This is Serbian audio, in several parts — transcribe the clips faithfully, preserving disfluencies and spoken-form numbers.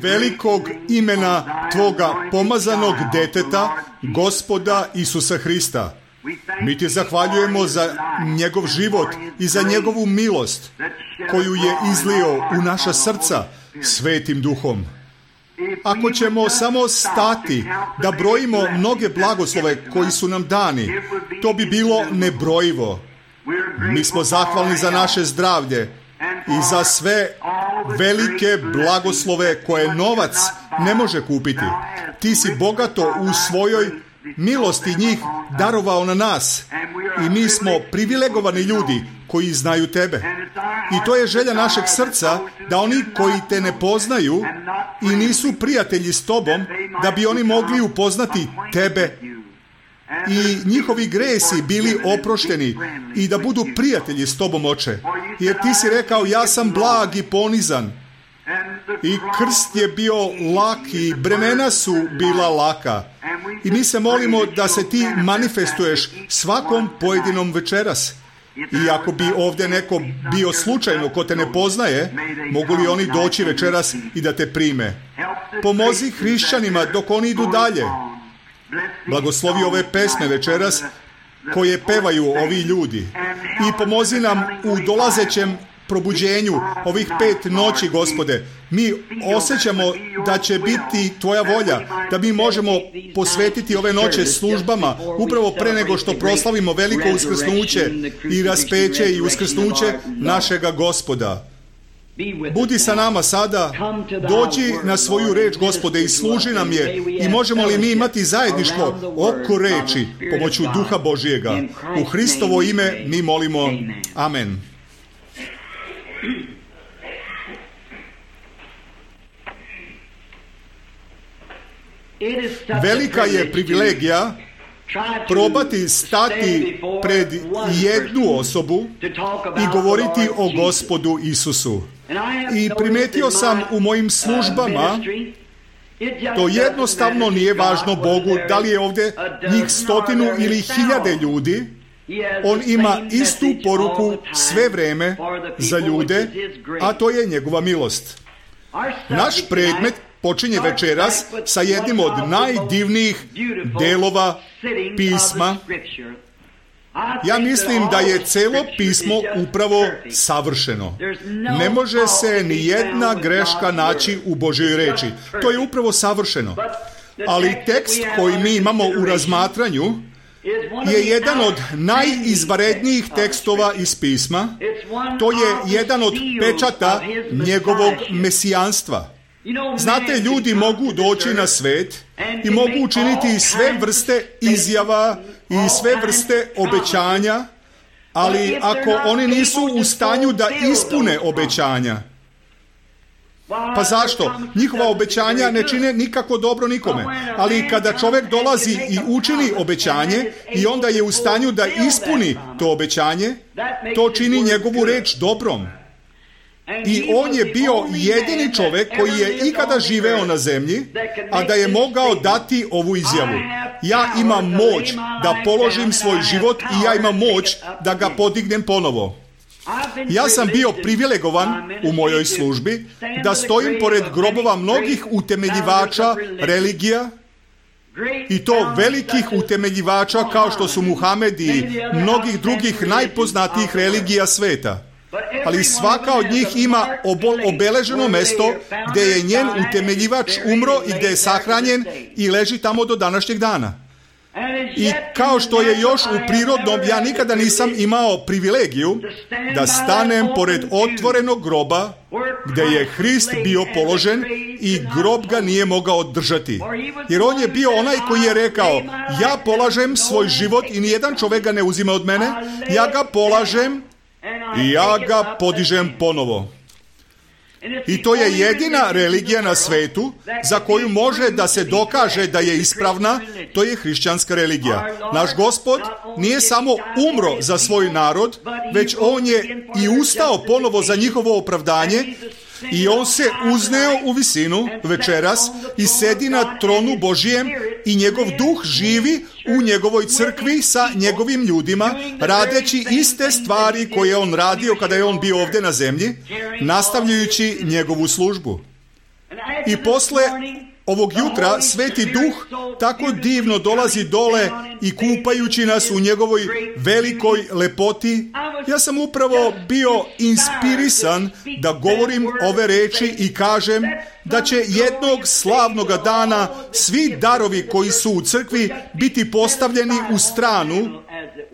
velikog imena Tvoga pomazanog deteta, Gospoda Isusa Hrista. Mi Ti zahvaljujemo za njegov život i za njegovu milost koju je izlio u naša srca Svetim Duhom. Ako ćemo samo stati da brojimo mnoge blagoslove koji su nam dani, to bi bilo nebrojivo. Mi smo zahvalni za naše zdravlje i za sve velike blagoslove koje novac ne može kupiti. Ti si bogato u svojoj milosti njih darovao na nas i mi smo privilegovani ljudi koji znaju Tebe. I to je želja našeg srca, da oni koji Te ne poznaju i nisu prijatelji s Tobom, da bi oni mogli upoznati Tebe i njihovi gresi bili oprošteni i da budu prijatelji s Tobom, Oče. Jer Ti si rekao, ja sam blag i ponizan. I krst je bio lak i bremena su bila laka. I mi se molimo da se Ti manifestuješ svakom pojedinom večeras. I ako bi ovdje neko bio slučajno ko Te ne poznaje, mogu li oni doći večeras i da Te prime? Pomozi hrišćanima dok oni idu dalje. Blagoslovi ove pesme večeras koje pevaju ovi ljudi. I pomozi nam u dolazećem probuđenju ovih pet noći, Gospode. Mi osjećamo da će biti Tvoja volja, da mi možemo posvetiti ove noće službama upravo pre nego što proslavimo veliko uskrsnuće i raspeće i uskrsnuće našega Gospoda. Budi sa nama sada, dođi na svoju reč, Gospode, i služi nam je. I možemo li mi imati zajedništvo oko reči pomoću Duha Božijega? U Hristovo ime mi molimo. Amen. Velika je privilegija probati stati pred jednu osobu i govoriti o Gospodu Isusu. I primijetio sam u mojim službama, to jednostavno nije važno Bogu da li je ovdje njih stotinu ili hiljade ljudi, on ima istu poruku sve vreme za ljude, a to je njegova milost. Naš predmet počinje večeras sa jednim od najdivnijih delova pisma. Ja mislim da je celo pismo upravo savršeno. Ne može se ni jedna greška naći u Božjoj reči. To je upravo savršeno. Ali tekst koji mi imamo u razmatranju je jedan od najizvanrednijih tekstova iz pisma. To je jedan od pečata njegovog mesijanstva. Znate, ljudi mogu doći na svet i mogu učiniti sve vrste izjava i sve vrste obećanja, ali ako oni nisu u stanju da ispune obećanja, pa zašto? Njihova obećanja ne čine nikako dobro nikome. Ali kada čovjek dolazi i učini obećanje i onda je u stanju da ispuni to obećanje, to čini njegovu reč dobrom. I on je bio jedini čovjek koji je ikada živeo na zemlji, a da je mogao dati ovu izjavu. Ja imam moć da položim svoj život i ja imam moć da ga podignem ponovo. Ja sam bio privilegovan u mojoj službi da stojim pored grobova mnogih utemeljivača religija, i to velikih utemeljivača kao što su Muhamed i mnogih drugih najpoznatijih religija sveta. Ali svaka od njih ima obeleženo mesto gdje je njen utemeljivač umro i gdje je sahranjen i leži tamo do današnjeg dana. I kao što je još u prirodnom, ja nikada nisam imao privilegiju da stanem pored otvorenog groba gdje je Hrist bio položen i grob ga nije mogao držati. Jer on je bio onaj koji je rekao, ja polažem svoj život i nijedan čovjek ga ne uzima od mene, ja ga polažem i ja ga podižem ponovo. I to je jedina religija na svetu za koju može da se dokaže da je ispravna, to je hrišćanska religija. Naš Gospod nije samo umro za svoj narod, već on je i ustao ponovo za njihovo opravdanje i on se uzneo u visinu večeras i sedi na tronu Božijem i njegov duh živi u njegovoj crkvi sa njegovim ljudima, radeći iste stvari koje je on radio kada je on bio ovdje na zemlji, nastavljajući njegovu službu. I posle ovog jutra Sveti Duh tako divno dolazi dole i kupajući nas u njegovoj velikoj lepoti. Ja sam upravo bio inspirisan da govorim ove reči i kažem da će jednog slavnoga dana svi darovi koji su u crkvi biti postavljeni u stranu,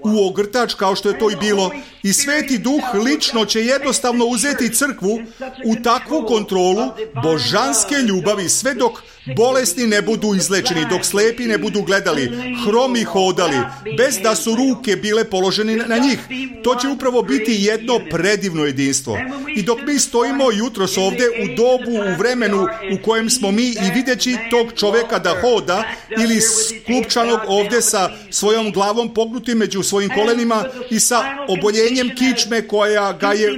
u ogrtač, kao što je to i bilo, i Sveti Duh lično će jednostavno uzeti crkvu u takvu kontrolu božanske ljubavi, sve dok bolesni ne budu izlečeni, dok slepi ne budu gledali, hromi hodali, bez da su ruke bile položene na njih. To će upravo biti jedno predivno jedinstvo. I dok mi stojimo jutros ovdje u dobu, u vremenu u kojem smo mi i videći tog čoveka da hoda ili sklupčanog ovdje sa svojom glavom pognutim među svojim kolenima i sa oboljenjem kičme koja ga je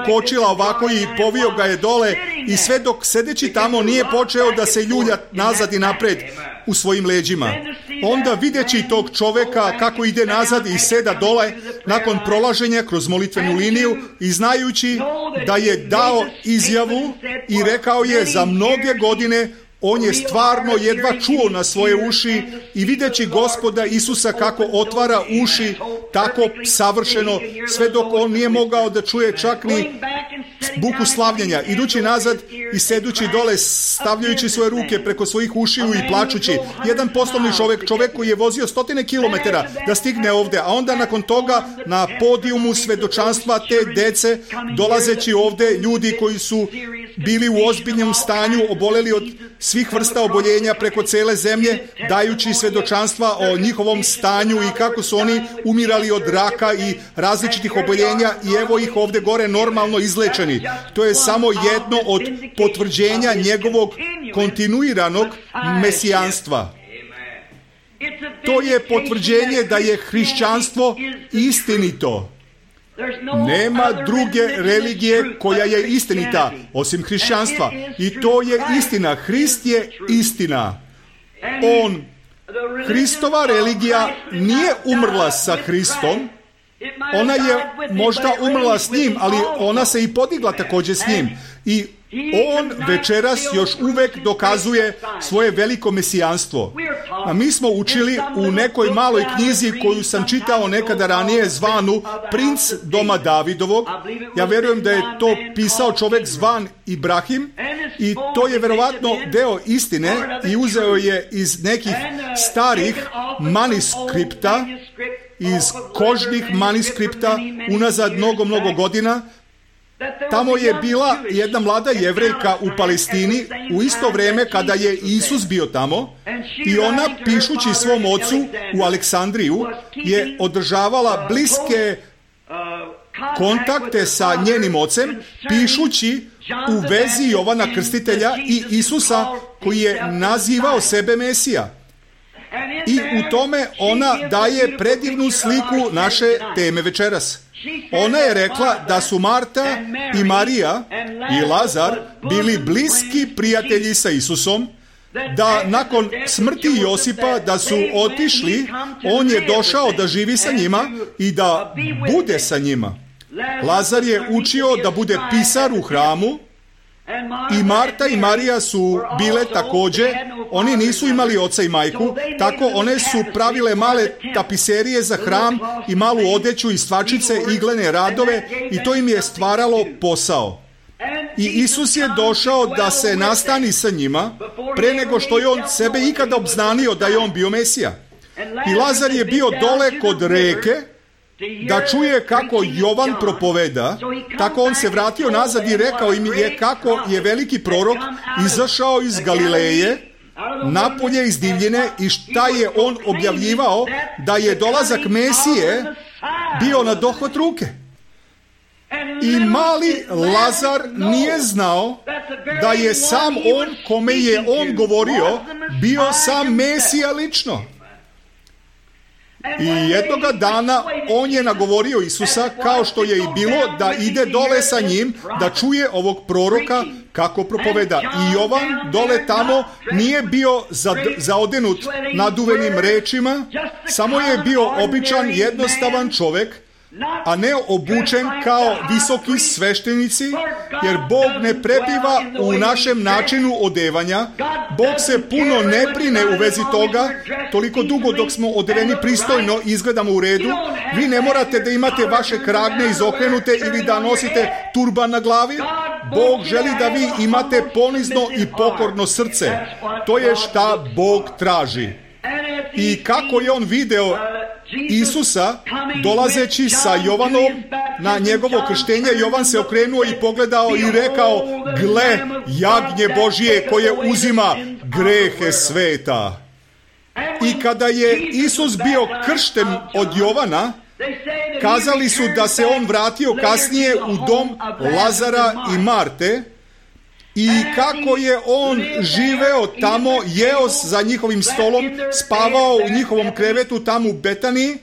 ukočila ovako i povio ga je dole, i sve dok sedeći tamo nije počeo da se ljulja nazad i napred u svojim leđima. Onda videći tog čoveka kako ide nazad i seda dole nakon prolaženja kroz molitvenu liniju i znajući da je dao izjavu i rekao je za mnoge godine, on je stvarno jedva čuo na svoje uši, i videći Gospoda Isusa kako otvara uši tako savršeno, sve dok on nije mogao da čuje čak ni buku slavljenja, idući nazad i sedući dole, stavljajući svoje ruke preko svojih ušiju i plačući. Jedan poslovni čovjek, čovjek koji je vozio stotine kilometara da stigne ovdje, a onda nakon toga na podijumu svedočanstva te dece, dolazeći ovdje ljudi koji su bili u ozbiljnom stanju, oboleli od svih vrsta oboljenja preko cele zemlje, dajući svedočanstva o njihovom stanju i kako su oni umirali od raka i različitih oboljenja, i evo ih ovdje gore normalno izlečeni. To je samo jedno od potvrđenja njegovog kontinuiranog mesijanstva. To je potvrđenje da je hrišćanstvo istinito. Nema druge religije koja je istinita osim hrišćanstva. I to je istina. Hrist je istina. On, Hristova religija nije umrla sa Hristom. Ona je možda umrla s njim, ali ona se i podigla također s njim. I on večeras još uvek dokazuje svoje veliko mesijanstvo. A mi smo učili u nekoj maloj knjizi koju sam čitao nekada ranije, zvanu Princ doma Davidovog. Ja vjerujem da je to pisao čovjek zvan Ibrahim, i to je verovatno deo istine i uzeo je iz nekih starih manuskripta, iz kožnih manuskripta unazad mnogo, mnogo godina. Tamo je bila jedna mlada Jevrejka u Palestini u isto vrijeme kada je Isus bio tamo, i ona, pišući svom ocu u Aleksandriju, je održavala bliske kontakte sa njenim ocem, pišući u vezi Jovana Krstitelja i Isusa koji je nazivao sebe Mesija. I u tome ona daje predivnu sliku naše teme večeras. Ona je rekla da su Marta i Marija i Lazar bili bliski prijatelji sa Isusom, da nakon smrti Josipa da su otišli, on je došao da živi sa njima i da bude sa njima. Lazar je učio da bude pisar u hramu, i Marta i Marija su bile također, oni nisu imali oca i majku, tako one su pravile male tapiserije za hram i malu odeću i stvačice, iglene radove, i to im je stvaralo posao. I Isus je došao da se nastani sa njima pre nego što je on sebe ikada obznanio da je on bio Mesija. I Lazar je bio dole kod reke da čuje kako Jovan propoveda, tako on se vratio nazad i rekao im je kako je veliki prorok izašao iz Galileje napolje iz divljine, i šta je on objavljivao, da je dolazak Mesije bio na dohvat ruke. I mali Lazar nije znao da je sam on, kome je on govorio, bio sam Mesija lično. I jednoga dana on je nagovorio Isusa, kao što je i bilo, da ide dole sa njim, da čuje ovog proroka kako propoveda. I Jovan dole tamo nije bio zaodenut naduvenim rečima, samo je bio običan, jednostavan čovjek, a ne obučen kao visoki sveštenici, jer Bog ne prebiva u našem načinu odevanja. Bog se puno ne brine u vezi toga, toliko dugo dok smo odeveni pristojno i izgledamo u redu. Vi ne morate da imate vaše kragne izokrenute ili da nosite turban na glavi. Bog želi da vi imate ponizno i pokorno srce. To je šta Bog traži. I kako je on video Isusa dolazeći sa Jovanom na njegovo krštenje, Jovan se okrenuo i pogledao i rekao: gle, jagnje Božije koje uzima grehe sveta. I kada je Isus bio kršten od Jovana, kazali su da se on vratio kasnije u dom Lazara i Marte i kako je on živeo tamo, jeo za njihovim stolom, spavao u njihovom krevetu tamo u Betaniji.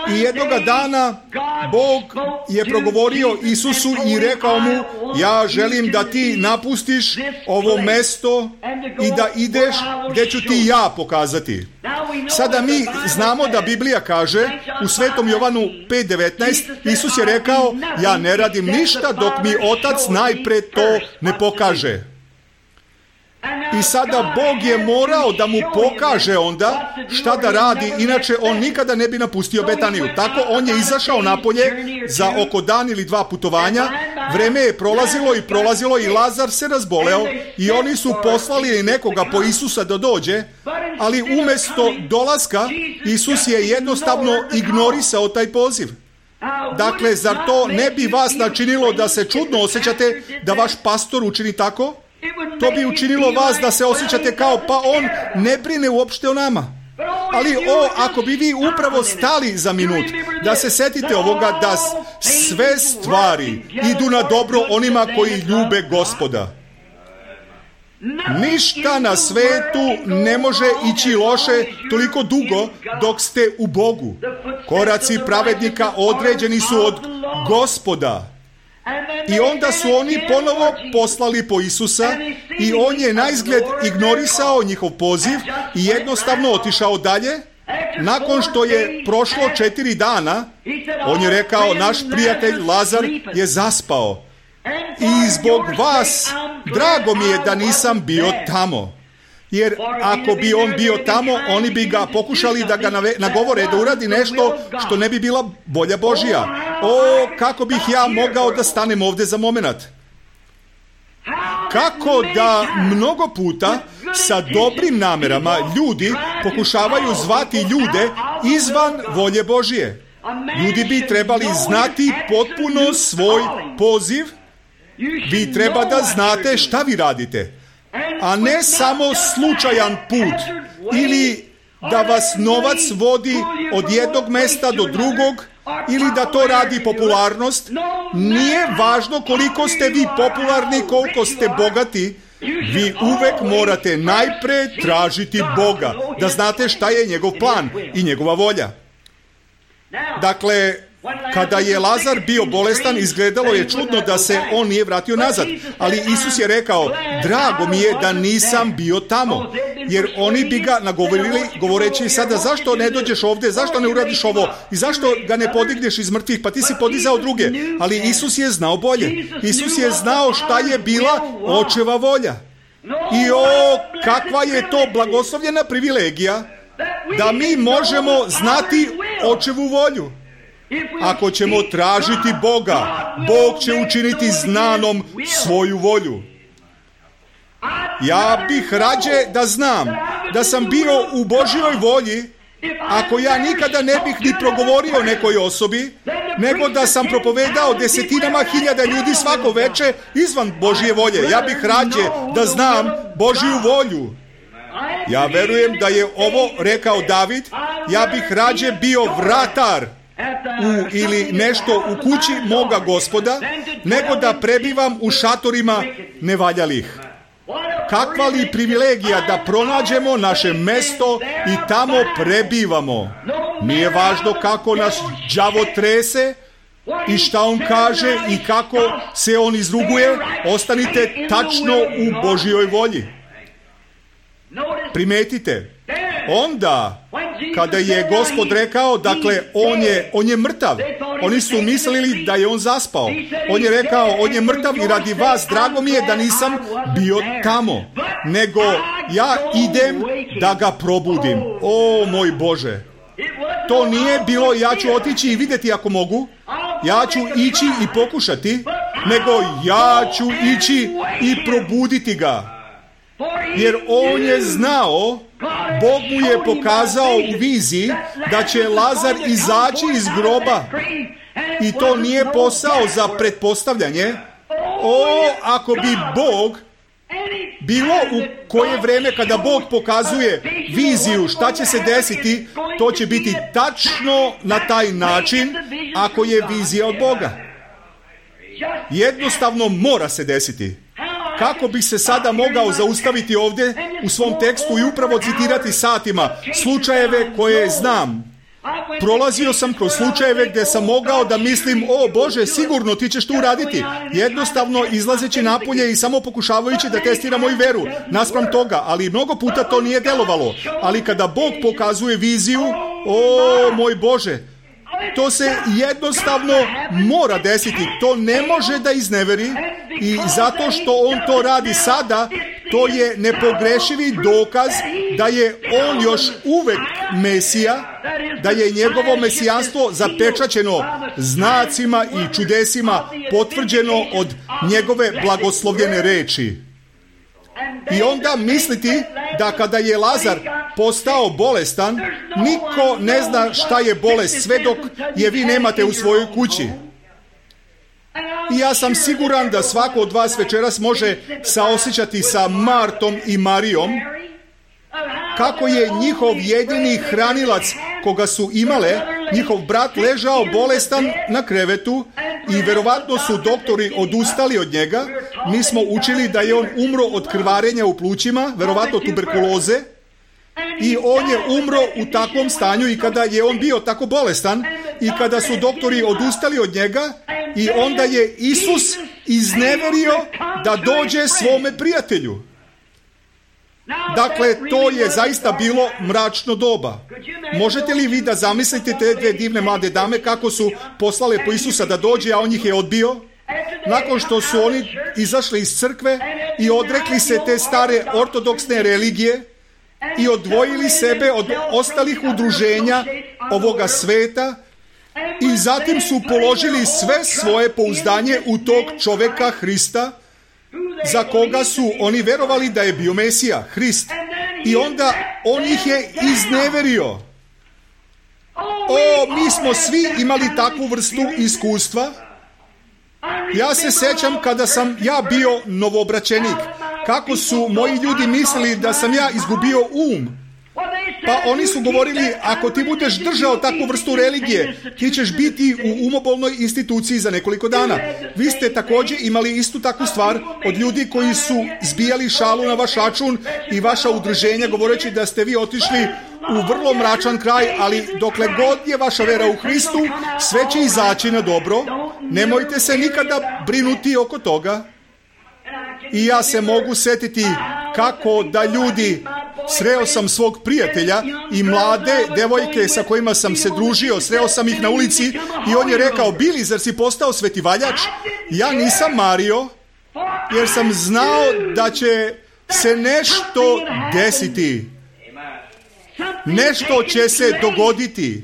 I jednoga dana Bog je progovorio Isusu i rekao mu: ja želim da ti napustiš ovo mesto i da ideš gdje ću ti ja pokazati. Sada mi znamo da Biblija kaže u Svetom Jovanu pet devetnaest, Isus je rekao: ja ne radim ništa dok mi Otac najpre to ne pokaže. I sada Bog je morao da mu pokaže onda šta da radi, inače on nikada ne bi napustio Betaniju. Tako on je izašao napolje za oko dan ili dva putovanja. Vreme je prolazilo i prolazilo i Lazar se razboleo i oni su poslali nekoga po Isusa da dođe, ali umjesto dolaska Isus je jednostavno ignorisao taj poziv. Dakle, zar to ne bi vas načinilo da se čudno osjećate da vaš pastor učini tako? To bi učinilo vas da se osjećate kao pa on ne brine uopšte o nama. Ali o, ako bi vi upravo stali za minut, da se setite ovoga, da sve stvari idu na dobro onima koji ljube Gospoda. Ništa na svetu ne može ići loše toliko dugo dok ste u Bogu. Koraci pravednika određeni su od Gospoda. I onda su oni ponovo poslali po Isusa i on je naizgled ignorisao njihov poziv i jednostavno otišao dalje. Nakon što je prošlo četiri dana, on je rekao: naš prijatelj Lazar je zaspao i zbog vas drago mi je da nisam bio tamo. Jer ako bi on bio tamo, oni bi ga pokušali da ga nagovore da uradi nešto što ne bi bila volja Božja. O, kako bih ja mogao da stanem ovdje za moment? Kako da mnogo puta sa dobrim namerama ljudi pokušavaju zvati ljude izvan volje Božje. Ljudi bi trebali znati potpuno svoj poziv. Vi treba da znate šta vi radite, a ne samo slučajan put ili da vas novac vodi od jednog mesta do drugog ili da to radi popularnost. Nije važno koliko ste vi popularni, koliko ste bogati. Vi uvek morate najpre tražiti Boga, da znate šta je njegov plan i njegova volja. Dakle, kada je Lazar bio bolestan, izgledalo je čudno da se on nije vratio nazad. Ali Isus je rekao: drago mi je da nisam bio tamo. Jer oni bi ga nagovorili govoreći: sada zašto ne dođeš ovdje, zašto ne uradiš ovo i zašto ga ne podigneš iz mrtvih, pa ti si podizao druge. Ali Isus je znao bolje. Isus je znao šta je bila Očeva volja. I o, kakva je to blagoslovljena privilegija da mi možemo znati Očevu volju. Ako ćemo tražiti Boga, Bog će učiniti znanom svoju volju. Ja bih rađe da znam da sam bio u Božjoj volji, ako ja nikada ne bih ni progovorio nekoj osobi, nego da sam propovedao desetinama hiljada ljudi svako veče izvan Božje volje. Ja bih rađe da znam Božju volju. Ja verujem da je ovo rekao David: ja bih rađe bio vratar u, ili nešto u kući moga Gospoda, nego da prebivam u šatorima nevaljalih. Kakva li privilegija da pronađemo naše mesto i tamo prebivamo. Nije važno kako nas đavo trese i šta on kaže i kako se on izruguje, ostanite tačno u Božjoj volji. Primetite, onda Kada je Gospod rekao, dakle, on je, on je mrtav. Oni su mislili da je on zaspao. On je rekao, on je mrtav i radi vas, drago mi je da nisam bio tamo. Nego ja idem da ga probudim. O moj Bože. To nije bilo ja ću otići i vidjeti ako mogu. Ja ću ići i pokušati. Nego ja ću ići i probuditi ga. Jer on je znao, Bog mu je pokazao u viziji da će Lazar izaći iz groba. I to nije posao za pretpostavljanje. O, ako bi Bog bilo u koje vrijeme kada Bog pokazuje viziju šta će se desiti, to će biti tačno na taj način ako je vizija od Boga. Jednostavno mora se desiti. Kako bih se sada mogao zaustaviti ovdje u svom tekstu i upravo citirati satima slučajeve koje znam. Prolazio sam kroz slučajeve gdje sam mogao da mislim, o Bože, sigurno ti ćeš to uraditi. Jednostavno izlazeći napolje i samo pokušavajući da testira moju veru naspram toga, ali mnogo puta to nije delovalo. Ali kada Bog pokazuje viziju, o moj Bože, to se jednostavno mora desiti. To ne može da izneveri i zato što on to radi sada, to je nepogrešivi dokaz da je on još uvek Mesija, da je njegovo mesijanstvo zapečaćeno znacima i čudesima, potvrđeno od njegove blagoslovljene reči. I onda misliti da kada je Lazar postao bolestan, niko ne zna šta je bolest sve dok je vi nemate u svojoj kući. I ja sam siguran da svako od vas večeras može saosjećati sa Martom i Marijom, kako je njihov jedini hranilac koga su imale, njihov brat ležao bolestan na krevetu i verovatno su doktori odustali od njega. Mi smo učili da je on umro od krvarenja u plućima, verovatno tuberkuloze, i on je umro u takvom stanju i kada je on bio tako bolestan i kada su doktori odustali od njega i onda je Isus izneverio da dođe svome prijatelju. Dakle, to je zaista bilo mračno doba. Možete li vi da zamislite te dve divne mlade dame kako su poslale po Isusa da dođe, a on ih je odbio? Nakon što su oni izašli iz crkve i odrekli se te stare ortodoksne religije i odvojili sebe od ostalih udruženja ovoga sveta i zatim su položili sve svoje pouzdanje u tog čoveka Hrista, za koga su oni verovali da je bio Mesija, Hrist. I onda on ih je izneverio. O, mi smo svi imali takvu vrstu iskustva. Ja se sećam kada sam ja bio novoobraćenik, kako su moji ljudi mislili da sam ja izgubio um. Pa oni su govorili, ako ti budeš držao takvu vrstu religije, ti ćeš biti u umobolnoj instituciji za nekoliko dana. Vi ste također imali istu takvu stvar od ljudi koji su zbijali šalu na vaš račun i vaša udruženja govoreći da ste vi otišli u vrlo mračan kraj, ali dokle god je vaša vera u Hristu, sve će izaći na dobro. Nemojte se nikada brinuti oko toga. I ja se mogu setiti kako da ljudi, sreo sam svog prijatelja i mlade devojke sa kojima sam se družio, sreo sam ih na ulici i on je rekao, Bili, zar si postao svetivaljač? Ja nisam mario, jer sam znao da će se nešto desiti. Nešto će se dogoditi.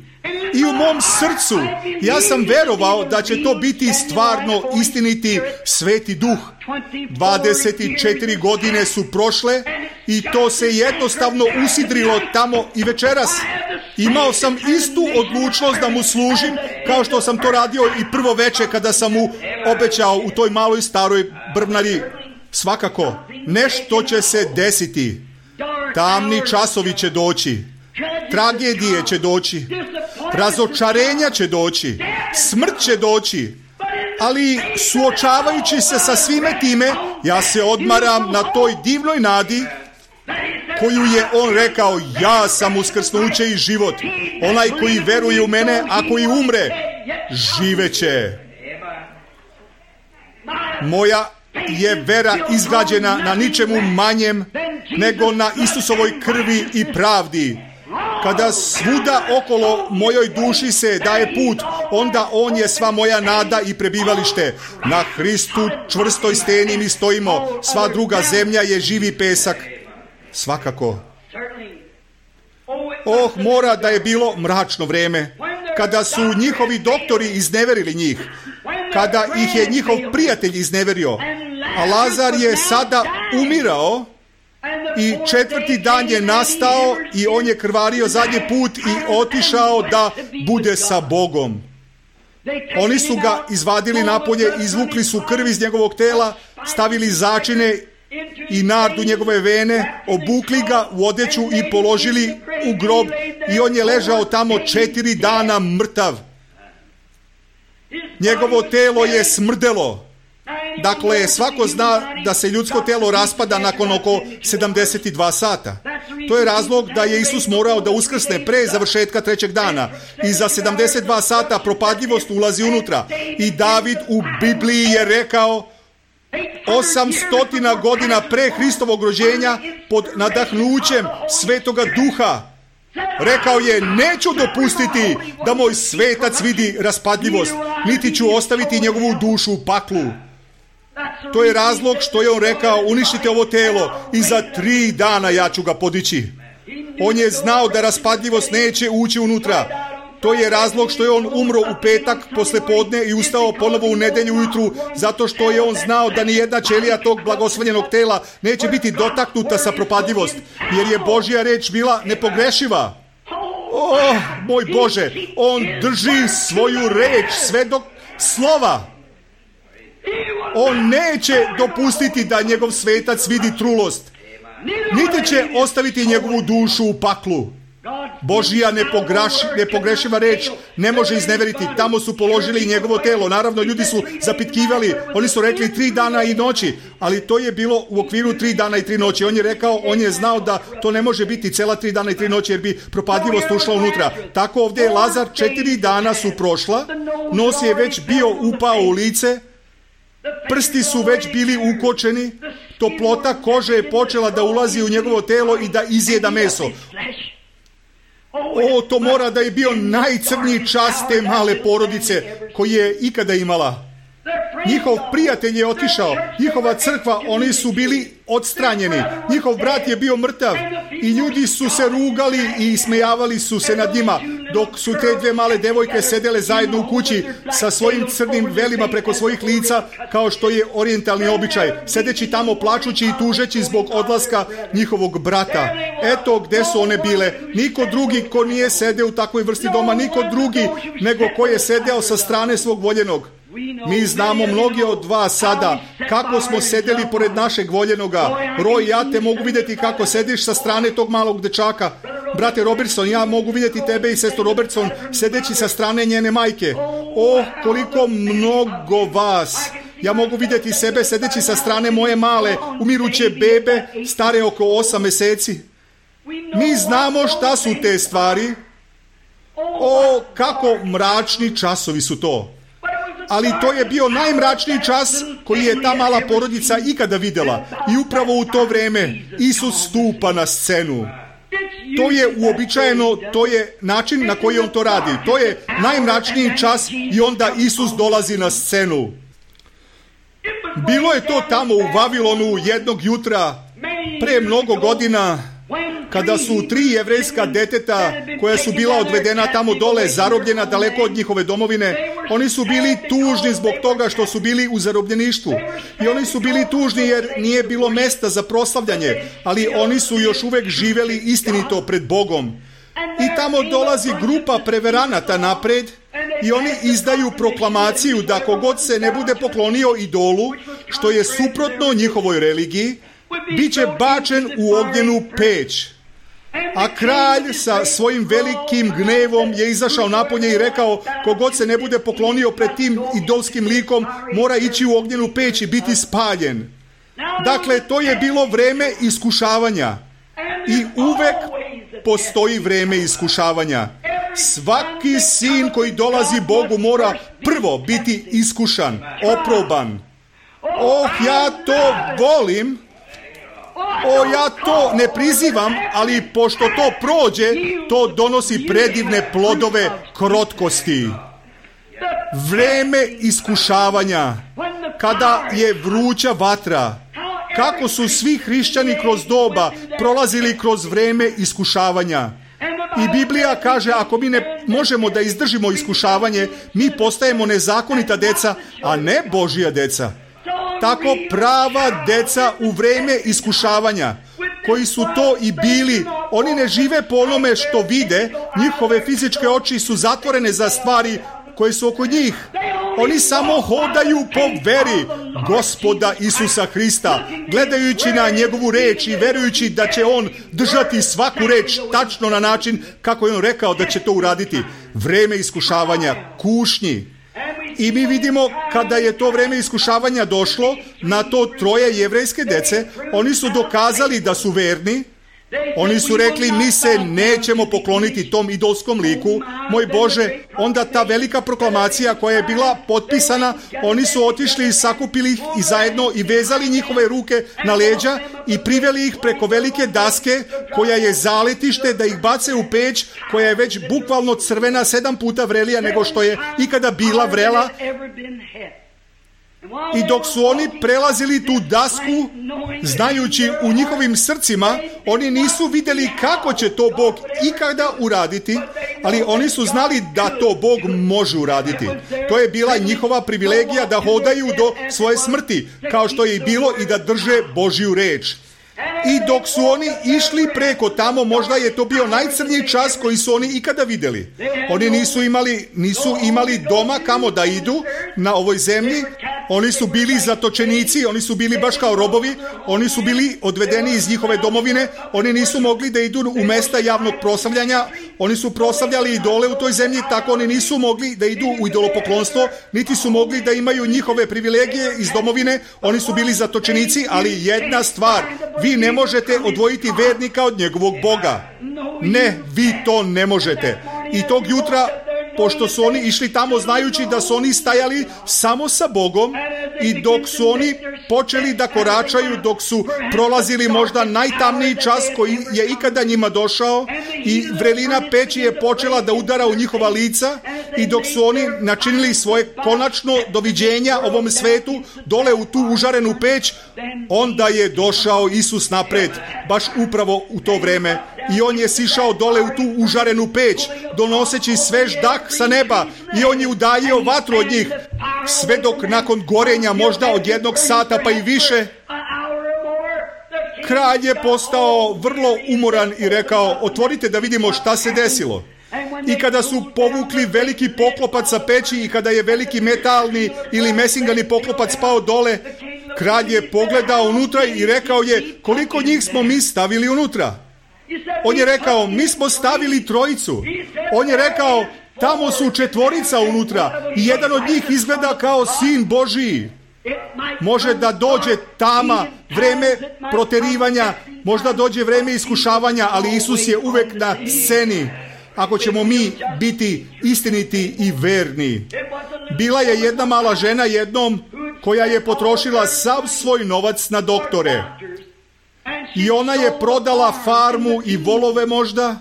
I u mom srcu ja sam verovao da će to biti stvarno istiniti Sveti Duh. dvadeset četiri godine su prošle i to se jednostavno usidrilo tamo i večeras. Imao sam istu odlučnost da mu služim kao što sam to radio i prvo veče kada sam mu obećao u toj maloj staroj brvnari. Svakako, nešto će se desiti. Tamni časovi će doći. Tragedije će doći. Razočarenja će doći. Smrt će doći. Ali suočavajući se sa svime time, ja se odmaram na toj divnoj nadi koju je on rekao, ja sam uskrsnuće i život. Onaj koji veruje u mene, a koji umre, živeće. Moja je vera izgrađena na ničemu manjem nego na Isusovoj krvi i pravdi. Kada svuda okolo mojoj duši se daje put, onda on je sva moja nada i prebivalište. Na Hristu čvrstoj steni mi stojimo, sva druga zemlja je živi pesak. Svakako. Oh, mora da je bilo mračno vreme, kada su njihovi doktori izneverili njih, kada ih je njihov prijatelj izneverio, a Lazar je sada umirao i četvrti dan je nastao i on je krvario zadnji put i otišao da bude sa Bogom. Oni su ga izvadili napolje, izvukli su krv iz njegovog tela, stavili začine i nardu njegove vene, obukli ga u odeću i položili u grob i on je ležao tamo četiri dana mrtav. Njegovo telo je smrdelo. Dakle, svako zna da se ljudsko telo raspada nakon oko sedamdeset dva sata. To je razlog da je Isus morao da uskrsne pre završetka trećeg dana. I za sedamdeset dva sata propadljivost ulazi unutra. I David u Bibliji je rekao, osamstotina godina pre Hristovog rođenja, pod nadahnućem Svetoga Duha, rekao je, neću dopustiti da moj svetac vidi raspadljivost, niti ću ostaviti njegovu dušu u paklu. To je razlog što je on rekao, uništite ovo telo i za tri dana ja ću ga podići. On je znao da raspadljivost neće ući unutra. To je razlog što je on umro u petak posle podne i ustao ponovo u nedelju ujutru, zato što je on znao da ni jedna ćelija tog blagoslovljenog tela neće biti dotaknuta sa propadljivost, jer je Božja reč bila nepogrešiva. Oh, moj Bože, on drži svoju reč sve do slova. On neće dopustiti da njegov svetac vidi trulost, niti će ostaviti njegovu dušu u paklu. Božja nepogreši, nepogrešiva reč ne može izneveriti. Tamo su položili njegovo telo. Naravno, ljudi su zapitkivali. Oni su rekli tri dana i noći, ali to je bilo u okviru tri dana i tri noći. On je rekao, on je znao da to ne može biti cela tri dana i tri noći, jer bi propadljivost ušla unutra. Tako ovdje je Lazar, četiri dana su prošla, nos je već bio upao u lice, prsti su već bili ukočeni, toplota kože je počela da ulazi u njegovo telo i da izjeda meso. O, to mora da je bio najcrniji čas te male porodice koji je ikada imala. Njihov prijatelj je otišao, njihova crkva, oni su bili odstranjeni, njihov brat je bio mrtav i ljudi su se rugali i smejavali su se nad njima, dok su te dve male devojke sedele zajedno u kući sa svojim crnim velima preko svojih lica, kao što je orijentalni običaj, sedeći tamo plačući i tužeći zbog odlaska njihovog brata. Eto gde su one bile. Niko drugi ko nije sedeo u takvoj vrsti doma, niko drugi nego ko je sedeo sa strane svog voljenog. Mi znamo mnogi od vas sada kako smo sedeli pored našeg voljenoga. Roy, ja te mogu vidjeti kako sediš sa strane tog malog dečaka. Brate Robertson, ja mogu vidjeti tebe i sestru Robertson sedeći sa strane njene majke. Oh, koliko mnogo vas. Ja mogu vidjeti sebe sedeći sa strane moje male, umiruće bebe, stare oko osam meseci. Mi znamo šta su te stvari. O, kako mračni časovi su to. Ali to je bio najmračniji čas koji je ta mala porodica ikada vidjela. I upravo u to vreme Isus stupa na scenu. To je uobičajeno, to je način na koji on to radi. To je najmračniji čas i onda Isus dolazi na scenu. Bilo je to tamo u Vavilonu jednog jutra, pre mnogo godina, kada su tri jevrejska deteta koja su bila odvedena tamo dole, zarobljena daleko od njihove domovine, oni su bili tužni zbog toga što su bili u zarobljeništvu. I oni su bili tužni jer nije bilo mesta za proslavljanje, ali oni su još uvek živeli istinito pred Bogom. I tamo dolazi grupa preveranata napred i oni izdaju proklamaciju da kogod se ne bude poklonio idolu, što je suprotno njihovoj religiji, bit će bačen u ognjenu peć. A kralj sa svojim velikim gnevom je izašao napolje i rekao, kogod se ne bude poklonio pred tim idolskim likom, mora ići u ognjenu peć i biti spaljen. Dakle, to je bilo vreme iskušavanja. I uvek postoji vreme iskušavanja. Svaki sin koji dolazi Bogu mora prvo biti iskušan, oproban. Oh, ja to volim. O, ja to ne prizivam, ali pošto to prođe, to donosi predivne plodove krotkosti. Vreme iskušavanja, kada je vruća vatra, kako su svi hrišćani kroz doba prolazili kroz vreme iskušavanja. I Biblija kaže, ako mi ne možemo da izdržimo iskušavanje, mi postajemo nezakonita deca, a ne Božja deca. Tako prava deca u vreme iskušavanja, koji su to i bili, oni ne žive po onome što vide, njihove fizičke oči su zatvorene za stvari koje su oko njih. Oni samo hodaju po veri Gospoda Isusa Hrista, gledajući na njegovu reč i verujući da će on držati svaku reč tačno na način kako je on rekao da će to uraditi. Vreme iskušavanja, kušnji. I mi vidimo kada je to vreme iskušavanja došlo na to troje jevrejske dece, oni su dokazali da su verni. Oni su rekli, mi se nećemo pokloniti tom idolskom liku, moj Bože. Onda ta velika proklamacija koja je bila potpisana, oni su otišli i sakupili ih i zajedno i vezali njihove ruke na leđa i priveli ih preko velike daske koja je zaletište da ih bace u peć, koja je već bukvalno crvena, sedam puta vrelija nego što je ikada bila vrela. I dok su oni prelazili tu dasku, znajući u njihovim srcima, oni nisu vidjeli kako će to Bog ikada uraditi, ali oni su znali da to Bog može uraditi. To je bila njihova privilegija da hodaju do svoje smrti, kao što je i bilo i da drže Božju reč. I dok su oni išli preko tamo, možda je to bio najcrniji čas koji su oni ikada vidjeli. Oni nisu imali, nisu imali doma kamo da idu na ovoj zemlji. Oni su bili zatočenici, oni su bili baš kao robovi, oni su bili odvedeni iz njihove domovine, oni nisu mogli da idu u mesta javnog proslavljanja, oni su proslavljali idole u toj zemlji, tako oni nisu mogli da idu u idolopoklonstvo, niti su mogli da imaju njihove privilegije iz domovine, oni su bili zatočenici, ali jedna stvar, vi ne možete odvojiti vernika od njegovog Boga. Ne, vi to ne možete. I tog jutra, pošto su oni išli tamo znajući da su oni stajali samo sa Bogom i dok su oni počeli da koračaju, dok su prolazili možda najtamniji čas koji je ikada njima došao i vrelina peći je počela da udara u njihova lica i dok su oni načinili svoje konačno doviđenja ovom svetu dole u tu užarenu peć, onda je došao Isus napred, baš upravo u to vreme. I on je sišao dole u tu užarenu peć, donoseći svež dah sa neba i on je udaljio vatru od njih, sve dok nakon gorenja možda od jednog sata pa i više, kralj je postao vrlo umoran i rekao, otvorite da vidimo šta se desilo. I kada su povukli veliki poklopac sa peći i kada je veliki metalni ili mesingani poklopac pao dole, kralj je pogledao unutra i rekao je, koliko njih smo mi stavili unutra? On je rekao, mi smo stavili trojicu. On je rekao, tamo su četvorica unutra i jedan od njih izgleda kao sin Božiji. Može da dođe tama, vreme proterivanja, možda dođe vreme iskušavanja, ali Isus je uvek na sceni. Ako ćemo mi biti istiniti i verni. Bila je jedna mala žena jednom koja je potrošila sav svoj novac na doktore. I ona je prodala farmu i volove možda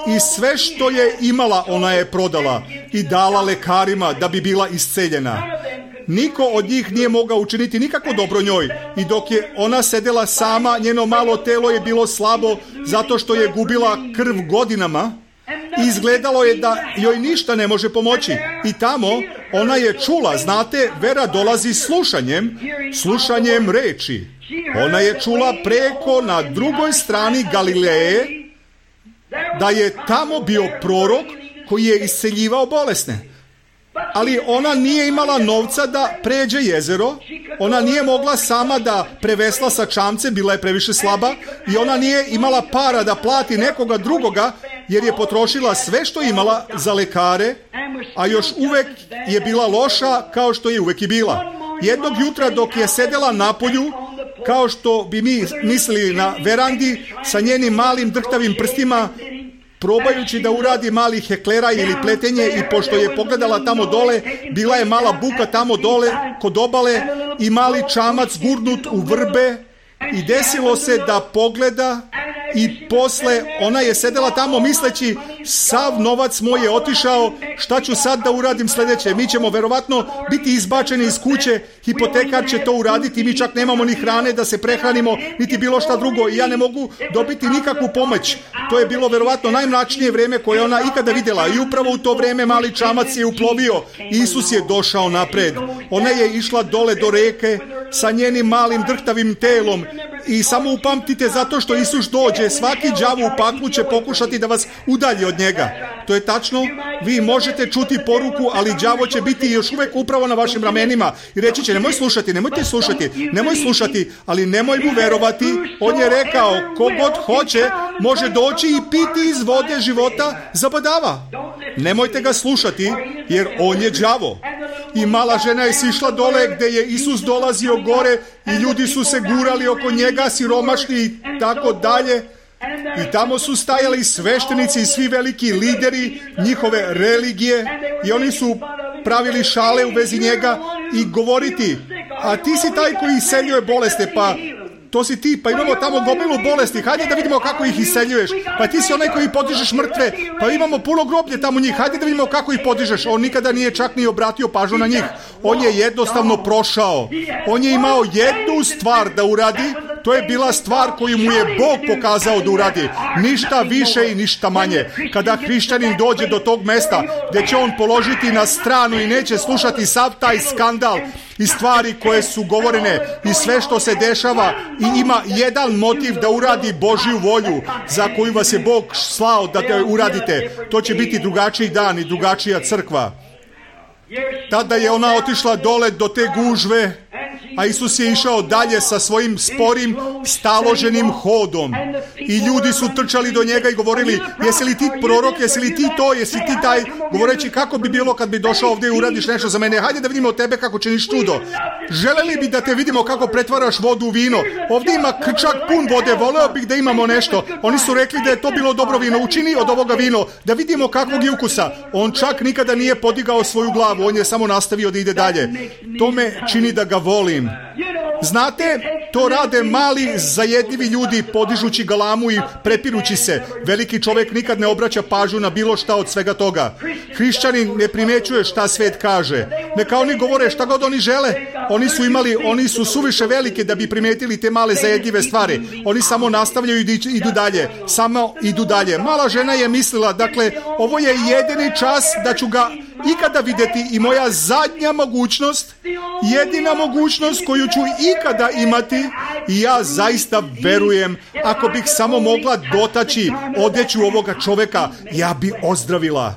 i sve što je imala ona je prodala i dala lekarima da bi bila isceljena. Niko od njih nije mogao učiniti nikako dobro njoj i dok je ona sedela sama, njeno malo telo je bilo slabo zato što je gubila krv godinama i izgledalo je da joj ništa ne može pomoći. I tamo ona je čula, znate, vera dolazi slušanjem, slušanjem reči. Ona je čula preko na drugoj strani Galileje da je tamo bio prorok koji je isceljivao bolesne. Ali ona nije imala novca da pređe jezero, ona nije mogla sama da prevesla sa čamcem, bila je previše slaba i ona nije imala para da plati nekoga drugoga jer je potrošila sve što imala za lekare, a još uvek je bila loša kao što je uvek i bila. Jednog jutra dok je sedela napolju, kao što bi mi mislili na verandi, sa njenim malim drhtavim prstima, probajući da uradi mali heklera ili pletenje i pošto je pogledala tamo dole, bila je mala buka tamo dole kod obale i mali čamac gurnut u vrbe I desilo se da pogleda i posle ona je sedela tamo misleći sav novac moj je otišao, šta ću sad da uradim sljedeće? Mi ćemo verovatno biti izbačeni iz kuće, hipotekar će to uraditi, mi čak nemamo ni hrane da se prehranimo, niti bilo šta drugo i ja ne mogu dobiti nikakvu pomoć. To je bilo verovatno najmračnije vrijeme koje ona ikada vidjela i upravo u to vrijeme mali čamac je uplovio. Isus je došao napred. Ona je išla dole do reke sa njenim malim drhtavim telom i samo upamtite zato što Isus dođe, svaki đavo u paklu će pokušati da vas udalji od njega. To je tačno, vi možete čuti poruku, ali đavo će biti još uvijek upravo na vašim ramenima i reći će nemoj slušati, nemojte slušati, nemoj slušati, ali nemoj mu verovati. On je rekao, kogod hoće može doći i piti iz vode života zabadava. Nemojte ga slušati, jer on je đavo. I mala žena je sišla dole gdje je Isus dolazio gore i ljudi su se gurali oko njega, siromašni i tako dalje. I tamo su stajali sveštenici i svi veliki lideri njihove religije i oni su pravili šale u vezi njega i govoriti, a ti si taj koji iseljuje bolesti, pa to si ti, pa imamo tamo gomilu bolesti, hajde da vidimo kako ih iseljuješ, pa ti si onaj koji podižeš mrtve, pa imamo puno groblje tamo njih, hajde da vidimo kako ih podižeš. On nikada nije čak ni obratio pažnju na njih, on je jednostavno prošao, on je imao jednu stvar da uradi, to je bila stvar koju mu je Bog pokazao da uradi, ništa više i ništa manje. Kada hrišćanin dođe do tog mesta gdje će on položiti na stranu i neće slušati sav taj skandal i stvari koje su govorene i sve što se dešava i ima jedan motiv da uradi Božju volju za koju vas je Bog slao da te uradite, to će biti drugačiji dan i drugačija crkva. Tada je ona otišla dole do te gužve, a Isus je išao dalje sa svojim sporim, staloženim hodom. I ljudi su trčali do njega i govorili, jesi li ti prorok, jesi li ti to, jesi ti taj, govoreći kako bi bilo kad bi došao ovdje i uradiš nešto za mene, hajde da vidimo tebe kako činiš čudo. Želeli bi da te vidimo kako pretvaraš vodu u vino, ovdje ima krčak pun vode, voleo bih da imamo nešto. Oni su rekli da je to bilo dobro vino, učini od ovoga vino, da vidimo kakvog je ukusa. On čak nikada nije podigao svoju glavu, on je samo nastavio da ide dalje. To me čini da ga volim. Znate, to rade mali zajedljivi ljudi podižući galamu i prepirući se. Veliki čovjek nikad ne obraća pažnju na bilo šta od svega toga. Hrišćanin ne primjećuje šta svijet kaže. Neka oni govore šta god oni žele. Oni su imali, oni su suviše velike da bi primijetili te male zajedljive stvari. Oni samo nastavljaju i idu dalje. Samo idu dalje. Mala žena je mislila, dakle, ovo je jedini čas da ću ga ikada vidjeti i moja zadnja mogućnost, jedina mogućnost koju ću ikada imati i ja zaista verujem, ako bih samo mogla dotaći odjeću ovoga čovjeka, ja bi ozdravila.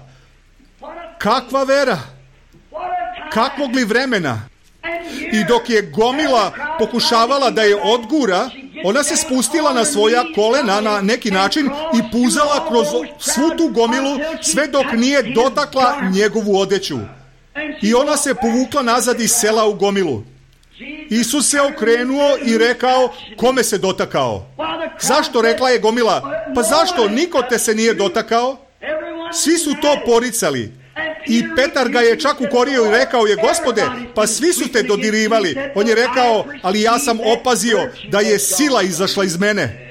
Kakva vera? Kakvog li vremena? I dok je gomila pokušavala da je odgura, ona se spustila na svoja kolena na neki način i puzala kroz svu tu gomilu sve dok nije dotakla njegovu odjeću. I ona se povukla nazad iz sela u gomilu. Isus se okrenuo i rekao, kome se dotakao? Zašto, rekla je gomila? Pa zašto, niko te se nije dotakao? Svi su to poricali. I Petar ga je čak ukorio i rekao je, Gospode, pa svi su te dodirivali. On je rekao, ali ja sam opazio da je sila izašla iz mene.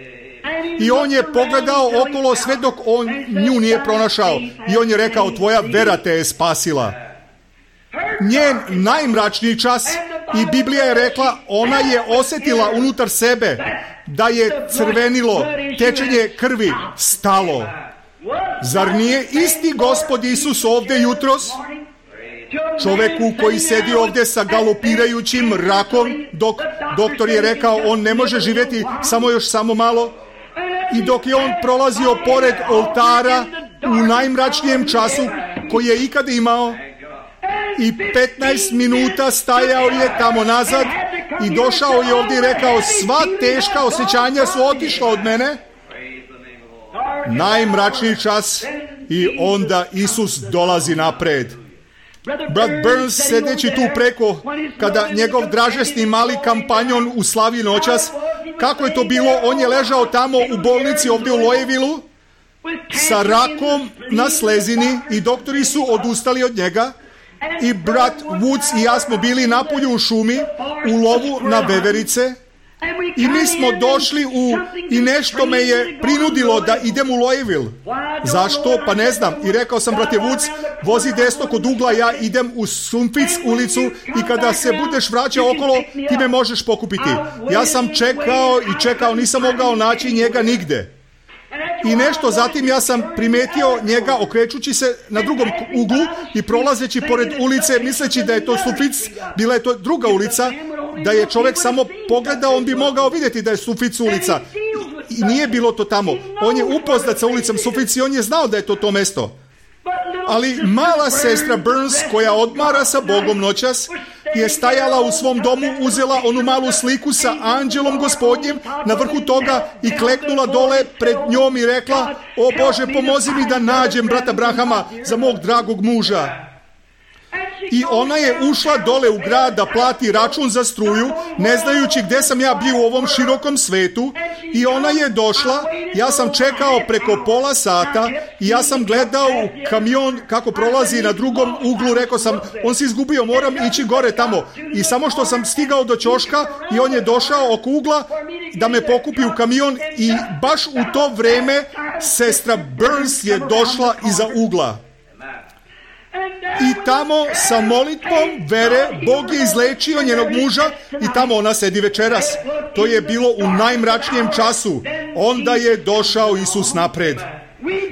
I on je pogledao okolo sve dok on nju nije pronašao. I on je rekao, tvoja vera te je spasila. Njen najmračniji čas, i Biblija je rekla, ona je osjetila unutar sebe da je crvenilo, tečenje krvi stalo. Zar nije isti Gospod Isus ovdje jutros? Čovjeku koji sedi ovdje sa galopirajućim rakom, dok doktor je rekao on ne može živjeti samo još samo malo, i dok je on prolazio pored oltara u najmračnijem času koji je ikad imao, i petnaest minuta stajao je tamo nazad i došao je ovdje i rekao, sva teška osjećanja su otišla od mene. Najmračniji čas i onda Isus dolazi napred. Brat Burns, sedeći tu preko, kada njegov dražesni mali kampanjon uslavi noćas, kako je to bilo, on je ležao tamo u bolnici ovdje u Lojevilu sa rakom na slezini i doktori su odustali od njega. I brat Woods i ja smo bili napolju u šumi u lovu na veverice I mi smo došli u, i nešto me je prinudilo da idem u Louisville. Zašto? Pa ne znam. I rekao sam, brate Vuc, vozi desno kod ugla, ja idem u Sunfic ulicu i kada se budeš vraćao okolo, ti me možeš pokupiti. Ja sam čekao i čekao, nisam mogao naći njega nigde. I nešto zatim ja sam primetio njega okrećući se na drugom uglu i prolazeći pored ulice, misleći da je to Sunfic, bila je to druga ulica, da je čovjek samo pogledao, on bi mogao vidjeti da je Sunfic ulica. I nije bilo to tamo. On je upoznat sa ulicom Sunfic i on je znao da je to to mesto. Ali mala sestra Burns, koja odmara sa Bogom noćas, je stajala u svom domu, uzela onu malu sliku sa anđelom Gospodnjim na vrhu toga i kleknula dole pred njom i rekla: o Bože, pomozi mi da nađem brata Brahama za mog dragog muža. I ona je ušla dole u grad da plati račun za struju, ne znajući gdje sam ja bio u ovom širokom svetu. I ona je došla, ja sam čekao preko pola sata i ja sam gledao u kamion kako prolazi na drugom uglu. Rekao sam, on se izgubio, moram ići gore tamo. I samo što sam stigao do ćoška i on je došao oko ugla da me pokupi u kamion i baš u to vrijeme sestra Burns je došla iza ugla. I tamo sa molitvom vere Bog je izlečio njenog muža i tamo ona sedi večeras. To je bilo u najmračnijem času. Onda je došao Isus napred.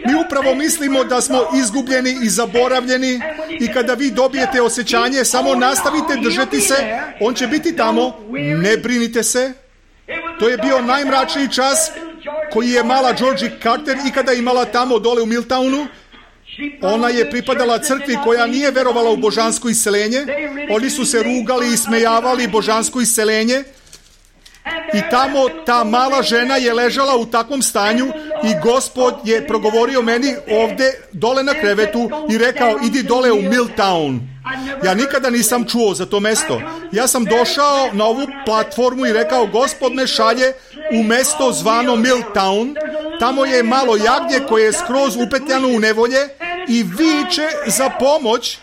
Mi upravo mislimo da smo izgubljeni i zaboravljeni i kada vi dobijete osjećanje, samo nastavite držati se, on će biti tamo, ne brinite se. To je bio najmračniji čas koji je mala Georgie Carter ikada imala tamo dole u Milltownu. Ona je pripadala crkvi koja nije verovala u božansko isceljenje. Oni su se rugali i smejavali božansko isceljenje. I tamo ta mala žena je ležala u takvom stanju i Gospod je progovorio meni ovdje dole na krevetu i rekao: idi dole u Milltown. Ja nikada nisam čuo za to mesto. Ja sam došao na ovu platformu i rekao: Gospod me šalje u mesto zvano Milltown. Tamo je malo jagnje koje je skroz upetljano u nevolje i viče za pomoć.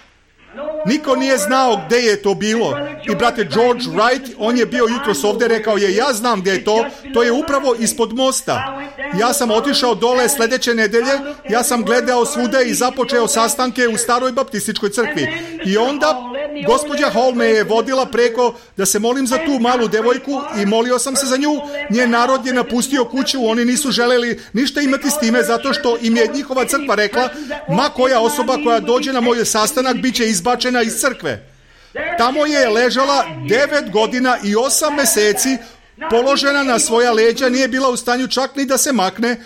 Niko nije znao gdje je to bilo. I brate George Wright, on je bio jutros ovdje, rekao je: ja znam gdje je to, to je upravo ispod mosta. Ja sam otišao dole sljedeće nedelje, ja sam gledao svude i započeo sastanke u staroj baptističkoj crkvi. I onda gospođa Hall me je vodila preko da se molim za tu malu devojku i molio sam se za nju. Njen narod je napustio kuću, oni nisu želeli ništa imati s time zato što im je njihova crkva rekla: ma koja osoba koja dođe na moj sastanak bit će izbačena iz crkve. Tamo je ležala devet godina i osam mjeseci, položena na svoja leđa, nije bila u stanju čak ni da se makne.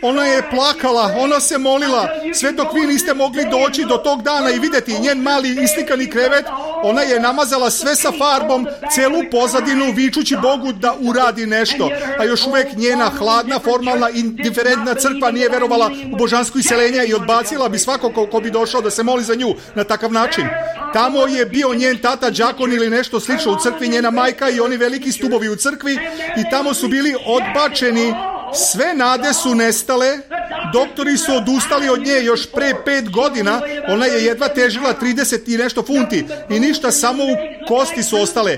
Ona je plakala, ona se molila, sve dok vi niste mogli doći do tog dana i vidjeti njen mali islikani krevet. Ona je namazala sve sa farbom, celu pozadinu, vičući Bogu da uradi nešto. A još uvijek njena hladna, formalna, indiferentna crkva nije verovala u božansko isceljenje i odbacila bi svako ko, ko bi došao da se moli za nju na takav način. Tamo je bio njen tata đakon ili nešto slično u crkvi, njena majka i oni veliki stubovi u crkvi, i tamo su bili odbačeni. Sve nade su nestale, doktori su odustali od nje još pre pet godina, ona je jedva težila trideset i nešto funti i ništa, samo u kosti su ostale.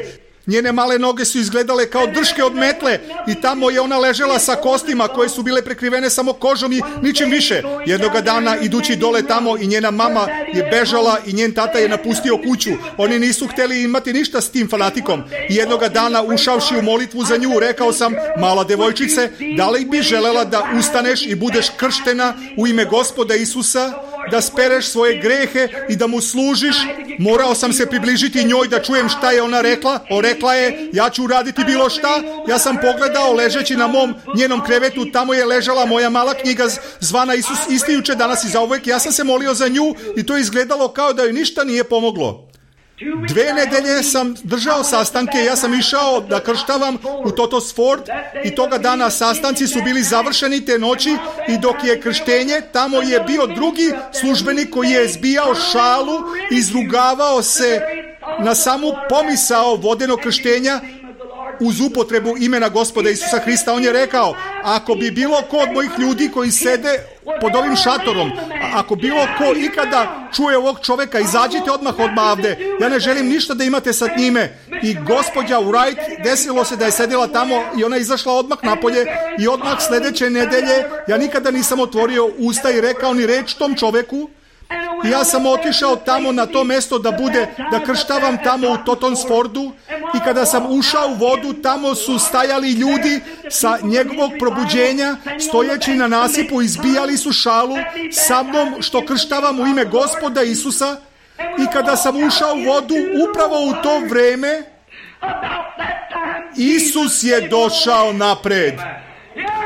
Njene male noge su izgledale kao drške od metle i tamo je ona ležela sa kostima koje su bile prekrivene samo kožom i ničim više. Jednoga dana idući dole tamo i njena mama je bežala i njen tata je napustio kuću. Oni nisu htjeli imati ništa s tim fanatikom. I jednoga dana ušavši u molitvu za nju rekao sam: mala devojčice, da li bi želela da ustaneš i budeš krštena u ime Gospoda Isusa, da spereš svoje grehe i da mu služiš? Morao sam se približiti njoj da čujem šta je ona rekla. O, rekla je: ja ću uraditi bilo šta. Ja sam pogledao ležeći na mom njenom krevetu, tamo je ležala moja mala knjiga zvana Isus isti juče, danas i zauvek. Ja sam se molio za nju i to je izgledalo kao da joj ništa nije pomoglo. Dve nedelje sam držao sastanke, ja sam išao da krštavam u Totos Ford i toga dana sastanci su bili završeni te noći i dok je krštenje, tamo je bio drugi službenik koji je zbijao šalu, izrugavao se na samu pomisao vodenog krštenja uz upotrebu imena Gospoda Isusa Hrista. On je rekao: ako bi bilo ko od mojih ljudi koji sede pod ovim šatorom, ako bilo ko ikada čuje ovog čovjeka, izađite odmah odmah ovde. Ja ne želim ništa da imate sa njime. i gospođa Wright, desilo se da je sedjela tamo i ona je izašla odmah napolje i odmah sljedeće nedelje ja nikada nisam otvorio usta i rekao ni reč tom čoveku. I ja sam otišao tamo na to mjesto da bude, da krštavam tamo u Totonsfordu i kada sam ušao u vodu, tamo su stajali ljudi sa njegovog probuđenja, stojeći na nasipu, izbijali su šalu sa mnom što krštavam u ime Gospoda Isusa. I kada sam ušao u vodu, upravo u to vrijeme, Isus je došao napred.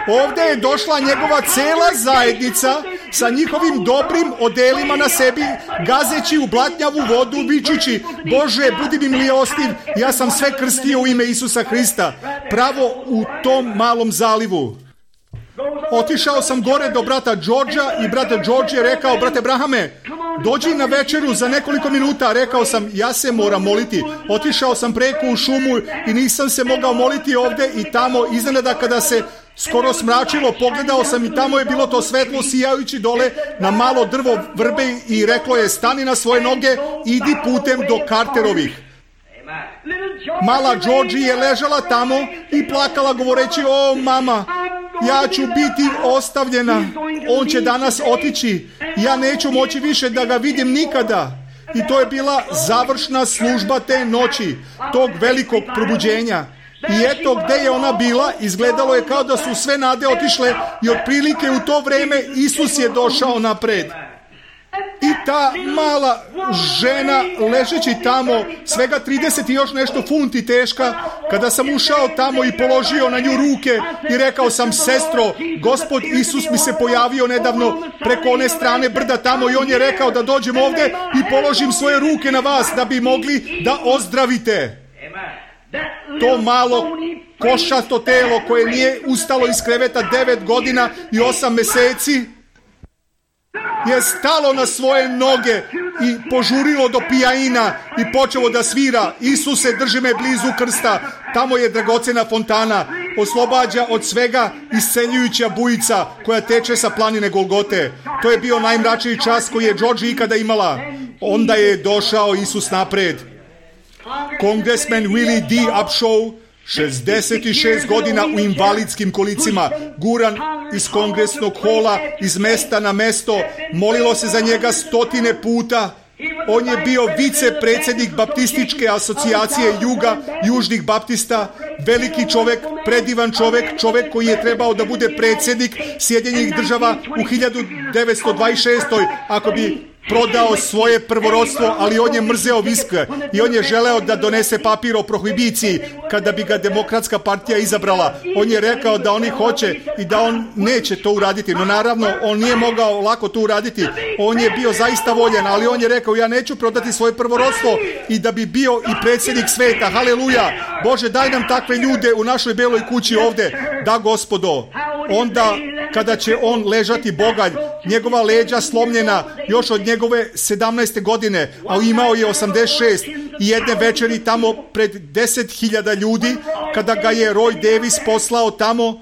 Ovdje je došla njegova cela zajednica sa njihovim dobrim odelima na sebi, gazeći u blatnjavu vodu, vičući: Bože, budi mi milostiv, ja sam sve krstio u ime Isusa Hrista, pravo u tom malom zalivu. Otišao sam gore do brata Đorđa i brata Đorđe je rekao: brate Brahame, dođi na večeru za nekoliko minuta. Rekao sam: ja se moram moliti. Otišao sam preko u šumu i nisam se mogao moliti ovdje i tamo. Iznenada kada se skoro smračilo, pogledao sam i tamo je bilo to svetlo sijajući dole na malo drvo vrbe i reklo je: stani na svoje noge, idi putem do Carterovih. Mala Georgie je ležala tamo i plakala govoreći: o mama, ja ću biti ostavljena, on će danas otići, ja neću moći više da ga vidim nikada. I to je bila završna služba te noći, tog velikog probuđenja. I eto gdje je ona bila, izgledalo je kao da su sve nade otišle i otprilike u to vrijeme Isus je došao napred. I ta mala žena ležeći tamo, svega trideset i još nešto funti teška, kada sam ušao tamo i položio na nju ruke i rekao sam: sestro, Gospod Isus mi se pojavio nedavno preko one strane brda tamo i on je rekao da dođem ovdje i položim svoje ruke na vas da bi mogli da ozdravite. To malo košasto telo koje nije ustalo iz kreveta devet godina i osam mjeseci je stalo na svoje noge i požurilo do pijaina i počelo da svira: Isuse, drži me blizu krsta, tamo je dragocena fontana, oslobađa od svega isceljujuća bujica koja teče sa planine Golgote. To je bio najmračniji čas koji je Georgie ikada imala. Onda je došao Isus napred. Kongresmen Willie D. Upshaw, šezdeset šest godina u invalidskim kolicima, guran iz kongresnog hola, iz mesta na mesto, molilo se za njega stotine puta. On je bio vicepredsjednik Baptističke asocijacije Juga, Južnih Baptista, veliki čovjek, predivan čovjek, čovjek koji je trebao da bude predsjednik Sjedinjenih država u hiljadu devetsto dvadeset šestoj ako bi prodao svoje prvorodstvo, ali on je mrzeo viske i on je želeo da donese papir o prohibiciji kada bi ga Demokratska partija izabrala. On je rekao da oni hoće i da on neće to uraditi, no naravno on nije mogao lako to uraditi. On je bio zaista voljen, ali on je rekao: ja neću prodati svoje prvorodstvo i da bi bio i predsjednik sveta. Haleluja! Bože, daj nam takve ljude u našoj beloj kući ovdje. Da, Gospodo. Onda kada će on ležati bogalj, njegova leđa slomljena još od njegove sedamnaeste godine, a imao je osamdeset šest, i jedne večeri tamo pred deset hiljada ljudi, kada ga je Roy Davis poslao tamo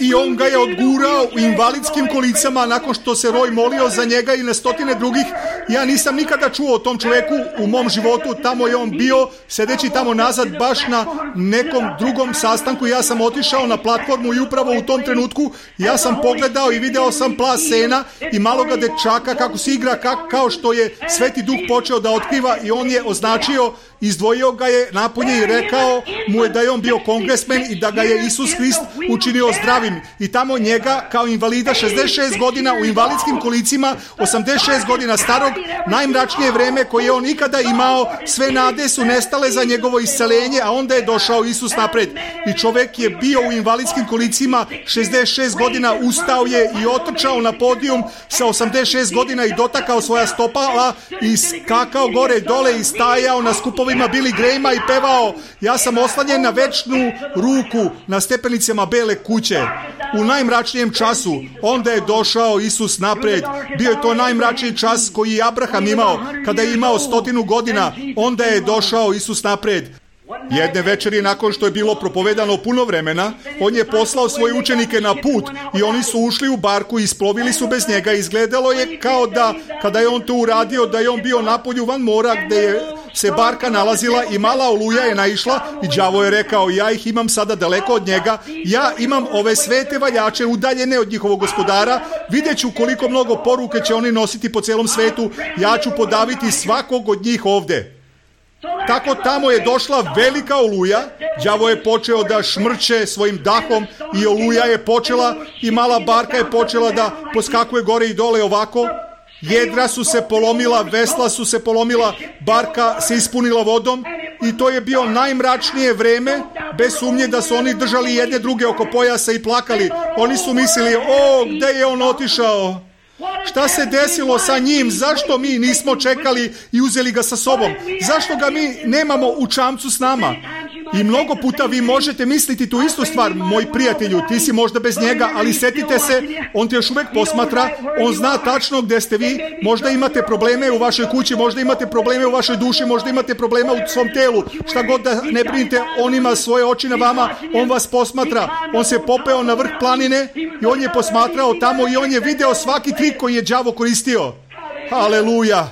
i on ga je odgurao u invalidskim kolicama nakon što se Roy molio za njega i na stotine drugih. Ja nisam nikada čuo o tom čovjeku u mom životu. Tamo je on bio, sedeći tamo nazad baš na nekom drugom sastanku. Ja sam otišao na platformu i upravo u tom trenutku ja sam pogledao i video sam plas sena i maloga dečaka kako se igra, ka, kao što je Sveti Duh počeo da otkriva, i on je označio, izdvojio ga je napolje i rekao mu je da je on bio kongresmen i da ga je Isus Hrist učinio zdravim. I tamo njega kao invalida, šezdeset šest godina u invalidskim kolicima, osamdeset šest godina starog, najmračnije vreme koje je on ikada imao, sve nade su nestale za njegovo isceljenje, a onda je došao Isus napred. I čovjek je bio u invalidskim kolicima šezdeset šest godina, ustao je i otrčao na podijum sa osamdeset šest godina i dotakao svoja stopala i skakao gore dole i stajao na skupovima Billy Grahama i pevao: ja sam oslanjen na večnu ruku na stepenicama Bele kuće. U najmračnijem času onda je došao Isus napred. Bio je to najmračniji čas koji je Abraham imao, kada je imao stotinu godina. Onda je došao Isus napred. Jedne večeri nakon što je bilo propovedano puno vremena, on je poslao svoje učenike na put i oni su ušli u barku i isplovili su bez njega. Izgledalo je kao da kada je on to uradio, da je on bio napolju van mora gdje je se barka nalazila i mala oluja je naišla i đavo je rekao, ja ih imam sada daleko od njega, ja imam ove svete valjače udaljene od njihovog gospodara, vidjet ću koliko mnogo poruke će oni nositi po celom svetu, ja ću podaviti svakog od njih ovde. Tako tamo je došla velika oluja, đavo je počeo da šmrče svojim dahom i oluja je počela i mala barka je počela da poskakuje gore i dole ovako. Jedra su se polomila, vesla su se polomila, barka se ispunila vodom i to je bio najmračnije vreme, bez sumnje da su oni držali jedne druge oko pojasa i plakali. Oni su mislili, o, gde je on otišao? Šta se desilo sa njim? Zašto mi nismo čekali i uzeli ga sa sobom? Zašto ga mi nemamo u čamcu s nama? I mnogo puta vi možete misliti tu istu stvar, moj prijatelju, ti si možda bez njega, ali setite se, on te još uvek posmatra, on zna tačno gde ste vi, možda imate probleme u vašoj kući, možda imate probleme u vašoj duši, možda imate problema u svom telu, šta god da ne brinite, on ima svoje oči na vama, on vas posmatra, on se popeo na vrh planine i on je posmatrao tamo i on je video svaki trik koji je đavo koristio. Haleluja!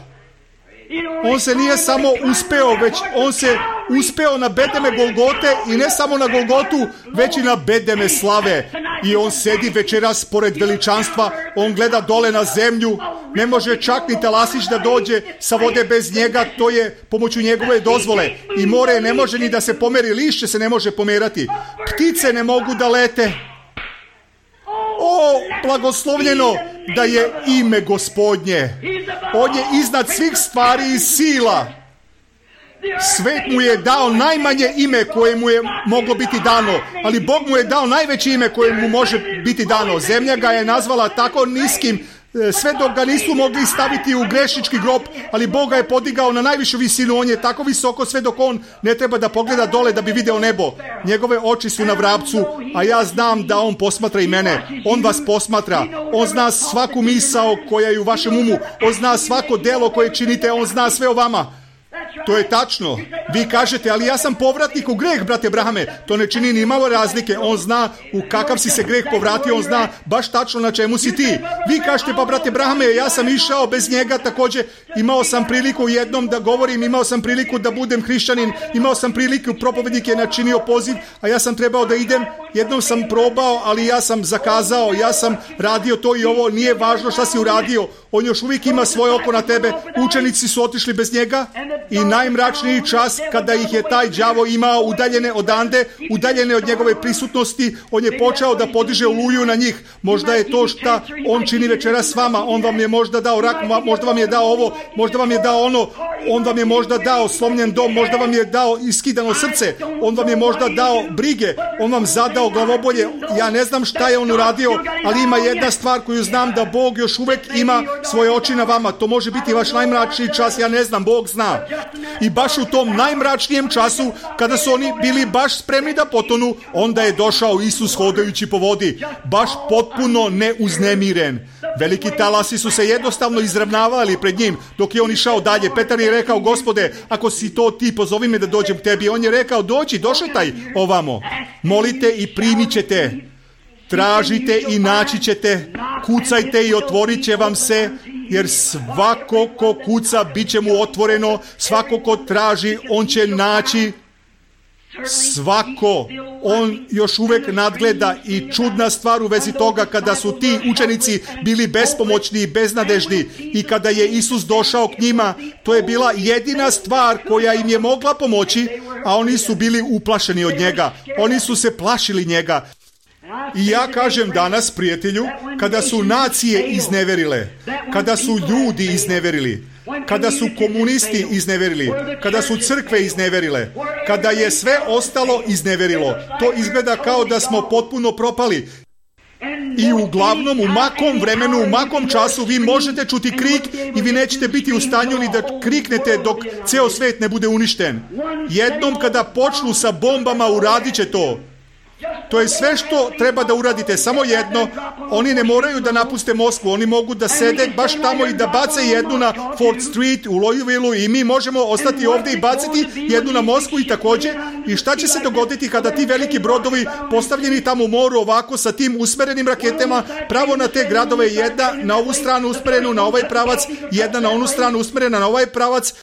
On se nije samo uspeo, već on se uspeo na bedeme Golgote i ne samo na Golgotu, već i na bedeme slave. I on sedi večeras pored veličanstva, on gleda dole na zemlju, ne može čak ni talasić da dođe sa vode bez njega, to je pomoću njegove dozvole. I more ne može ni da se pomeri, lišće se ne može pomerati. Ptice ne mogu da lete. O, blagoslovljeno da je ime Gospodnje. On je iznad svih stvari i sila. Svet mu je dao najmanje ime koje mu je moglo biti dano, ali Bog mu je dao najveće ime koje mu može biti dano. Zemlja ga je nazvala tako niskim, sve dok ga nisu mogli staviti u grešnički grob, ali Bog ga je podigao na najvišu visinu. On je tako visoko sve dok on ne treba da pogleda dole da bi video nebo. Njegove oči su na vrapcu, a ja znam da on posmatra i mene. On vas posmatra. On zna svaku misao koja je u vašem umu. On zna svako delo koje činite. On zna sve o vama. To je tačno. Vi kažete, ali ja sam povratnik u greh, brate Brahame. To ne čini ni malo razlike. On zna u kakav si se greh povratio, on zna baš tačno na čemu si ti. Vi kažete, pa brate Brahame, ja sam išao bez njega također. Imao sam priliku jednom da govorim, imao sam priliku da budem hrišćanin, imao sam priliku, propovednik je načinio poziv, a ja sam trebao da idem. Jednom sam probao, ali ja sam zakazao, ja sam radio to i ovo, nije važno šta si uradio. On još uvijek ima svoje oko na tebe. Učenici su otišli bez njega i najmračniji čas kada ih je taj đavo imao udaljene odande, udaljene od njegove prisutnosti, on je počeo da podiže oluju na njih. Možda je to šta on čini večeras s vama. On vam je možda dao rak, možda vam je dao ovo, možda vam je dao ono, on vam je možda dao slomljen dom, možda vam je dao iskidano srce, on vam je možda dao brige, on vam zadao glavobolje. Ja ne znam šta je on uradio, ali ima jedna stvar koju znam, da Bog još uvek ima svoje oči na vama. To može biti vaš najmračniji čas, ja ne znam, Bog zna. I baš u tom najmračnijem času, kada su oni bili baš spremni da potonu, onda je došao Isus hodajući po vodi, baš potpuno neuznemiren. Veliki talasi su se jednostavno izravnavali pred njim dok je on išao dalje. Petar je rekao, Gospode, ako si to ti, pozovi me da dođem k tebi. On je rekao, dođi, došetaj ovamo. Molite i primit ćete. Tražite i naći ćete. Kucajte i otvorit će vam se. Jer svako ko kuca, bit će mu otvoreno. Svako ko traži, on će naći. Svako, on još uvek nadgleda. I čudna stvar u vezi toga, kada su ti učenici bili bespomoćni i beznadežni i kada je Isus došao k njima, to je bila jedina stvar koja im je mogla pomoći, a oni su bili uplašeni od njega. Oni su se plašili njega. I ja kažem danas, prijatelju, kada su nacije izneverile, kada su ljudi izneverili, kada su komunisti izneverili, kada su crkve izneverile, kada je sve ostalo izneverilo, to izgleda kao da smo potpuno propali. I uglavnom u makom vremenu, u makom času vi možete čuti krik i vi nećete biti u stanju ni da kriknete dok ceo svet ne bude uništen. Jednom kada počnu sa bombama, uradit će to. To je sve što treba da uradite, samo jedno. Oni ne moraju da napuste Moskvu, oni mogu da sede baš tamo i da bace jednu na Fort Street u Louisville i mi možemo ostati ovdje i baciti jednu na Moskvu i također. I šta će se dogoditi kada ti veliki brodovi postavljeni tamo u moru ovako sa tim usmerenim raketama pravo na te gradove, jedna na ovu stranu usmerenu na ovaj pravac, jedna na onu stranu usmerena na ovaj pravac.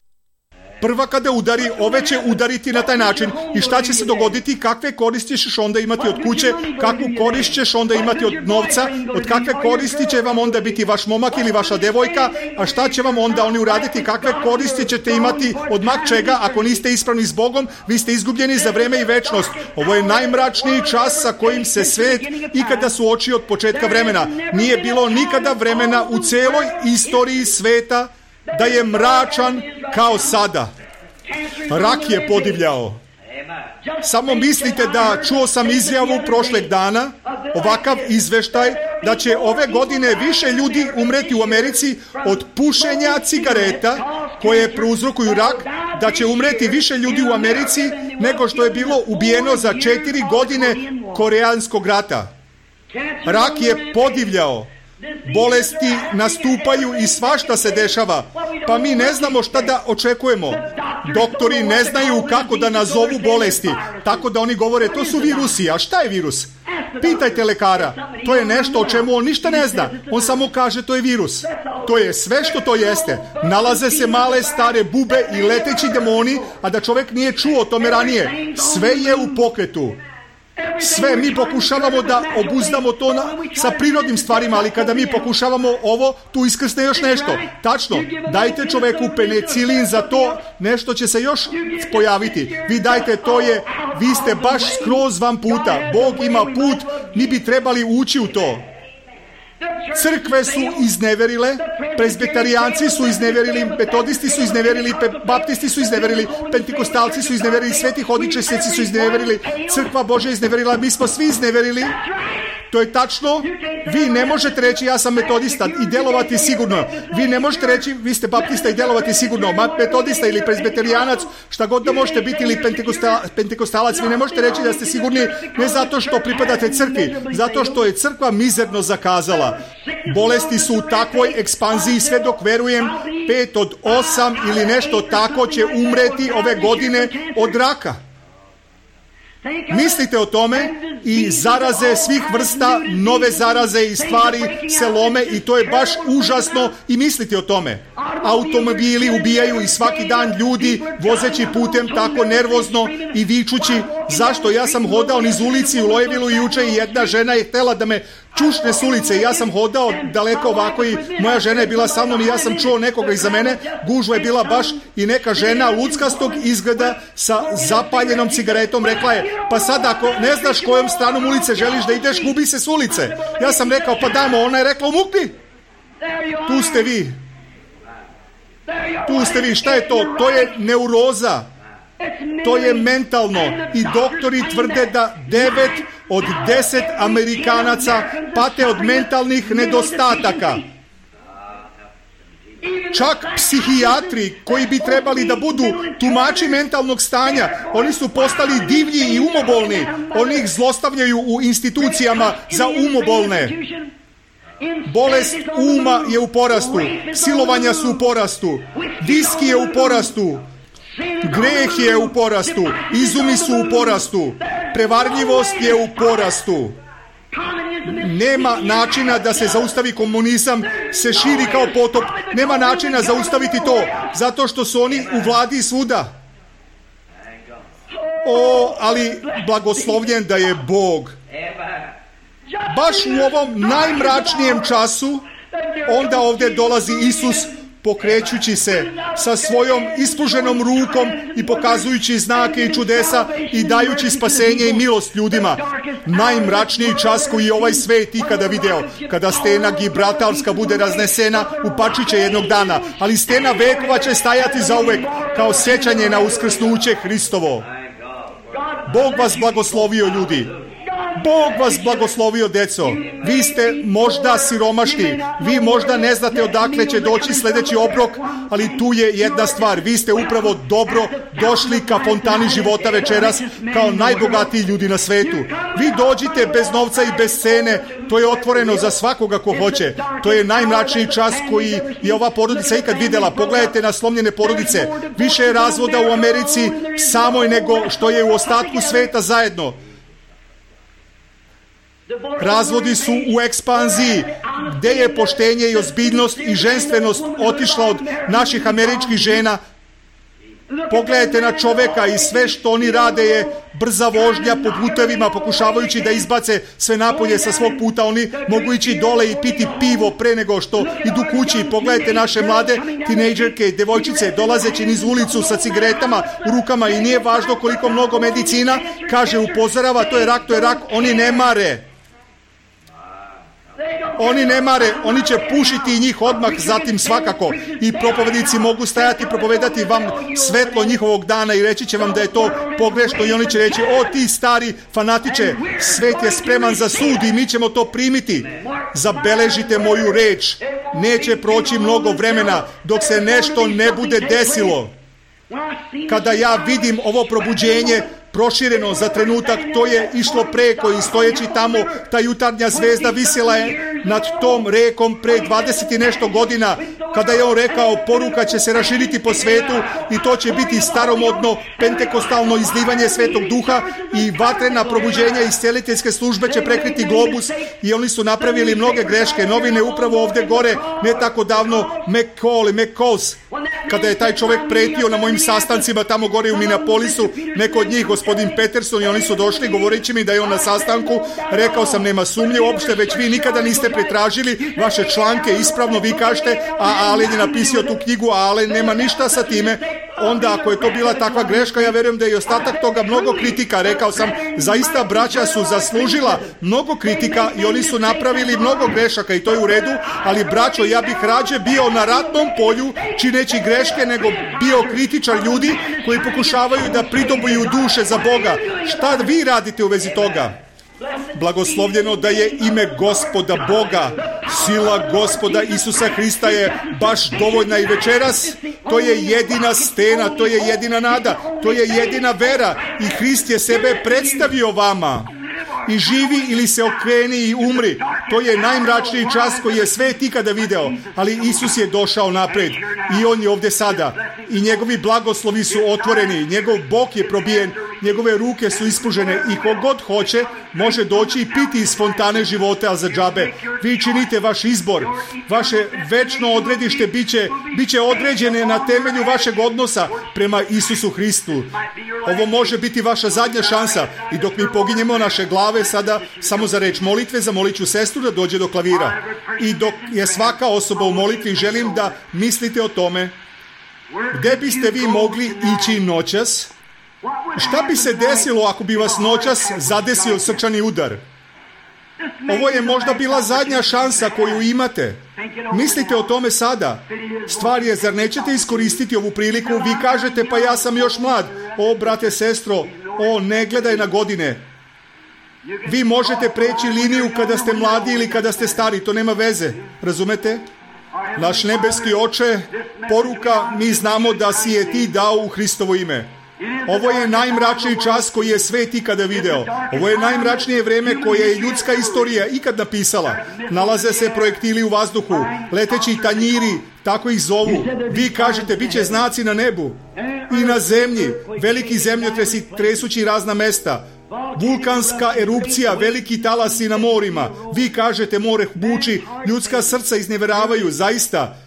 Prva kada udari, ove će udariti na taj način. I šta će se dogoditi? Kakve koristi ćeš onda imati od kuće? Kakvu korist ćeš onda imati od novca? Od kakve koristi će vam onda biti vaš momak ili vaša devojka? A šta će vam onda oni uraditi? Kakve koristi ćete imati od mak čega? Ako niste ispravni s Bogom, vi ste izgubljeni za vreme i večnost. Ovo je najmračniji čas sa kojim se svet ikada suočio od početka vremena. Nije bilo nikada vremena u celoj istoriji sveta da je mračan kao sada. Rak je podivljao. Samo mislite da čuo sam izjavu prošlog dana, ovakav izveštaj, da će ove godine više ljudi umreti u Americi od pušenja cigareta koje prouzrokuju rak, da će umreti više ljudi u Americi nego što je bilo ubijeno za četiri godine Koreanskog rata. Rak je podivljao. Bolesti nastupaju i svašta se dešava, pa mi ne znamo šta da očekujemo. Doktori ne znaju kako da nazovu bolesti, tako da oni govore to su virusi. A šta je virus? Pitajte lekara. To je nešto o čemu on ništa ne zna. On samo kaže to je virus. To je sve što to jeste. Nalaze se male stare bube i leteći demoni, a da čovjek nije čuo o tome ranije. Sve je u pokretu. Sve mi pokušavamo da obuzdamo to na, sa prirodnim stvarima, ali kada mi pokušavamo ovo, tu iskrsne još nešto. Tačno, dajte čoveku penicilin za to, nešto će se još pojaviti. Vi dajte, to je, vi ste baš skroz van puta. Bog ima put, mi bi trebali ući u to. Crkve su izneverile, prezbiterijanci su izneverili, metodisti su izneverili, baptisti su izneverili, pentikostalci su izneverili, sveti hodičesnici su izneverili, crkva Božja izneverila, mi smo svi izneverili. To je tačno. Vi ne možete reći ja sam metodista i delovati sigurno. Vi ne možete reći vi ste baptista i delovati sigurno. Metodista ili prezbiterijanac, šta god da možete biti, ili pentekostalac, vi ne možete reći da ste sigurni, ne zato što pripadate crkvi, zato što je crkva mizerno zakazala. Bolesti su u takvoj ekspanziji, sve dok verujem pet od osam ili nešto tako će umreti ove godine od raka. Mislite o tome i zaraze svih vrsta, nove zaraze i stvari se lome i to je baš užasno i mislite o tome. Automobili ubijaju i svaki dan ljudi vozeći putem tako nervozno i vičući. Zašto? Ja sam hodao niz ulici u Lojevilu juče i jedna žena je htjela da me čušne s ulice. Ja sam hodao daleko ovako i moja žena je bila sa mnom i ja sam čuo nekoga iza mene. Gužva je bila baš i neka žena luckastog izgleda sa zapaljenom cigaretom rekla je, pa sad ako ne znaš kojom stranom ulice želiš da ideš, gubi se s ulice. Ja sam rekao, pa dajmo, ona je rekla, umukni. Tu ste vi. Tu ste vi, šta je to? To je neuroza. To je mentalno i doktori tvrde da devet od deset Amerikanaca pate od mentalnih nedostataka. Čak psihijatri koji bi trebali da budu tumači mentalnog stanja, oni su postali divlji i umobolni. Oni ih zlostavljaju u institucijama za umobolne. Bolest uma je u porastu, silovanja su u porastu, viski je u porastu, greh je u porastu, izumi su u porastu, prevarljivost je u porastu. Nema načina da se zaustavi komunizam, se širi kao potop. Nema načina zaustaviti to, zato što su oni u vladi svuda. O, ali blagoslovljen da je Bog. Baš u ovom najmračnijem času, onda ovdje dolazi Isus, pokrećući se sa svojom ispruženom rukom i pokazujući znake i čudesa i dajući spasenje i milost ljudima. Najmračniji čas koji je ovaj svet ikada video, kada stena Gibraltarska bude raznesena, upačit će jednog dana, ali stena vekova će stajati zauvek kao sjećanje na uskrsnuće Hristovo. Bog vas blagoslovio, ljudi. Bog vas blagoslovio, deco. Vi ste možda siromašni, vi možda ne znate odakle će doći sljedeći obrok, ali tu je jedna stvar. Vi ste upravo dobro došli ka fontani života večeras kao najbogatiji ljudi na svetu. Vi dođite bez novca i bez cene, to je otvoreno za svakoga ko hoće. To je najmračniji čas koji je ova porodica ikad vidjela. Pogledajte na slomljene porodice. Više je razvoda u Americi samoj nego što je u ostatku sveta zajedno. Razvodi su u ekspanziji. Gde je poštenje i ozbiljnost i ženstvenost otišla od naših američkih žena? Pogledajte na čoveka i sve što oni rade je brza vožnja po putevima, pokušavajući da izbace sve napolje sa svog puta. Oni mogu ići dole i piti pivo pre nego što idu kući. Pogledajte naše mlade tinejdžerke i devojčice dolazeći niz ulicu sa cigaretama u rukama i nije važno koliko mnogo medicina kaže, upozorava, to je rak, to je rak, oni ne mare. Oni ne mare, oni će pušiti njih odmah zatim svakako. I propovednici mogu stajati i propovedati vam svetlo njihovog dana i reći će vam da je to pogrešno i oni će reći, o ti stari fanatiče, svet je spreman za sud i mi ćemo to primiti. Zabeležite moju reč, neće proći mnogo vremena dok se nešto ne bude desilo. Kada ja vidim ovo probuđenje prošireno za trenutak, to je išlo preko i stojeći tamo, ta jutarnja zvezda visjela je nad tom rekom pre dvadeset i nešto godina, kada je on rekao, poruka će se raširiti po svetu i to će biti staromodno pentekostalno izlivanje Svetog Duha i vatrena probuđenja i isceliteljske službe će prekriti globus i oni su napravili mnoge greške. Novine upravo ovdje gore, ne tako davno, McCall i McCalls, kada je taj čovjek pretio na mojim sastancima tamo gore u Minneapolisu, neko od njih, gospodin Peterson, i oni su došli govoreći mi da je on na sastanku. Rekao sam, nema sumnje uopšte, već vi nikada niste pretražili vaše članke ispravno, vi kažete, a Alen je napisao tu knjigu, a Alen nema ništa sa time. Onda ako je to bila takva greška, ja verujem da je i ostatak toga mnogo kritika. Rekao sam, zaista braća su zaslužila mnogo kritika i oni su napravili mnogo grešaka i to je u redu, ali braćo, ja bih rađe bio na ratnom polju čineći greške nego bio kritičar ljudi koji pokušavaju da pridobuju duše za Boga. Šta vi radite u vezi toga? Blagoslovljeno da je ime Gospoda Boga, sila Gospoda Isusa Hrista je baš dovoljna i večeras. To je jedina stena, to je jedina nada, to je jedina vera i Hrist je sebe predstavio vama. I živi ili se okreni i umri. To je najmračniji čas koji je svet ikada video. Ali Isus je došao napred i on je ovdje sada. I njegovi blagoslovi su otvoreni. Njegov bok je probijen. Njegove ruke su ispužene i kogod hoće može doći i piti iz fontane života, a za džabe. Vi činite vaš izbor. Vaše večno odredište biće, biće određene na temelju vašeg odnosa prema Isusu Hristu. Ovo može biti vaša zadnja šansa i dok mi poginjemo naše glave sada samo za reč molitve, zamolit ću sestru da dođe do klavira. I dok je svaka osoba u molitvi, želim da mislite o tome gdje biste vi mogli ići noćas. Šta bi se desilo ako bi vas noćas zadesio srčani udar? Ovo je možda bila zadnja šansa koju imate. Mislite o tome sada. Stvar je, zar nećete iskoristiti ovu priliku? Vi kažete, pa ja sam još mlad. O, brate, sestro, o, ne gledaj na godine. Vi možete preći liniju kada ste mladi ili kada ste stari, to nema veze. Razumete? Naš nebeski Oče, poruka, mi znamo da si je ti dao u Hristovo ime. Ovo je najmračniji čas koji je svet ikada video. Ovo je najmračnije vrijeme koje je ljudska istorija ikad napisala. Nalaze se projektili u vazduhu, leteći tanjiri, tako ih zovu. Vi kažete, bit će znaci na nebu i na zemlji, veliki zemljotresi tresući razna mesta, vulkanska erupcija, veliki talasi na morima. Vi kažete, more buči, ljudska srca iznevjeravaju, zaista.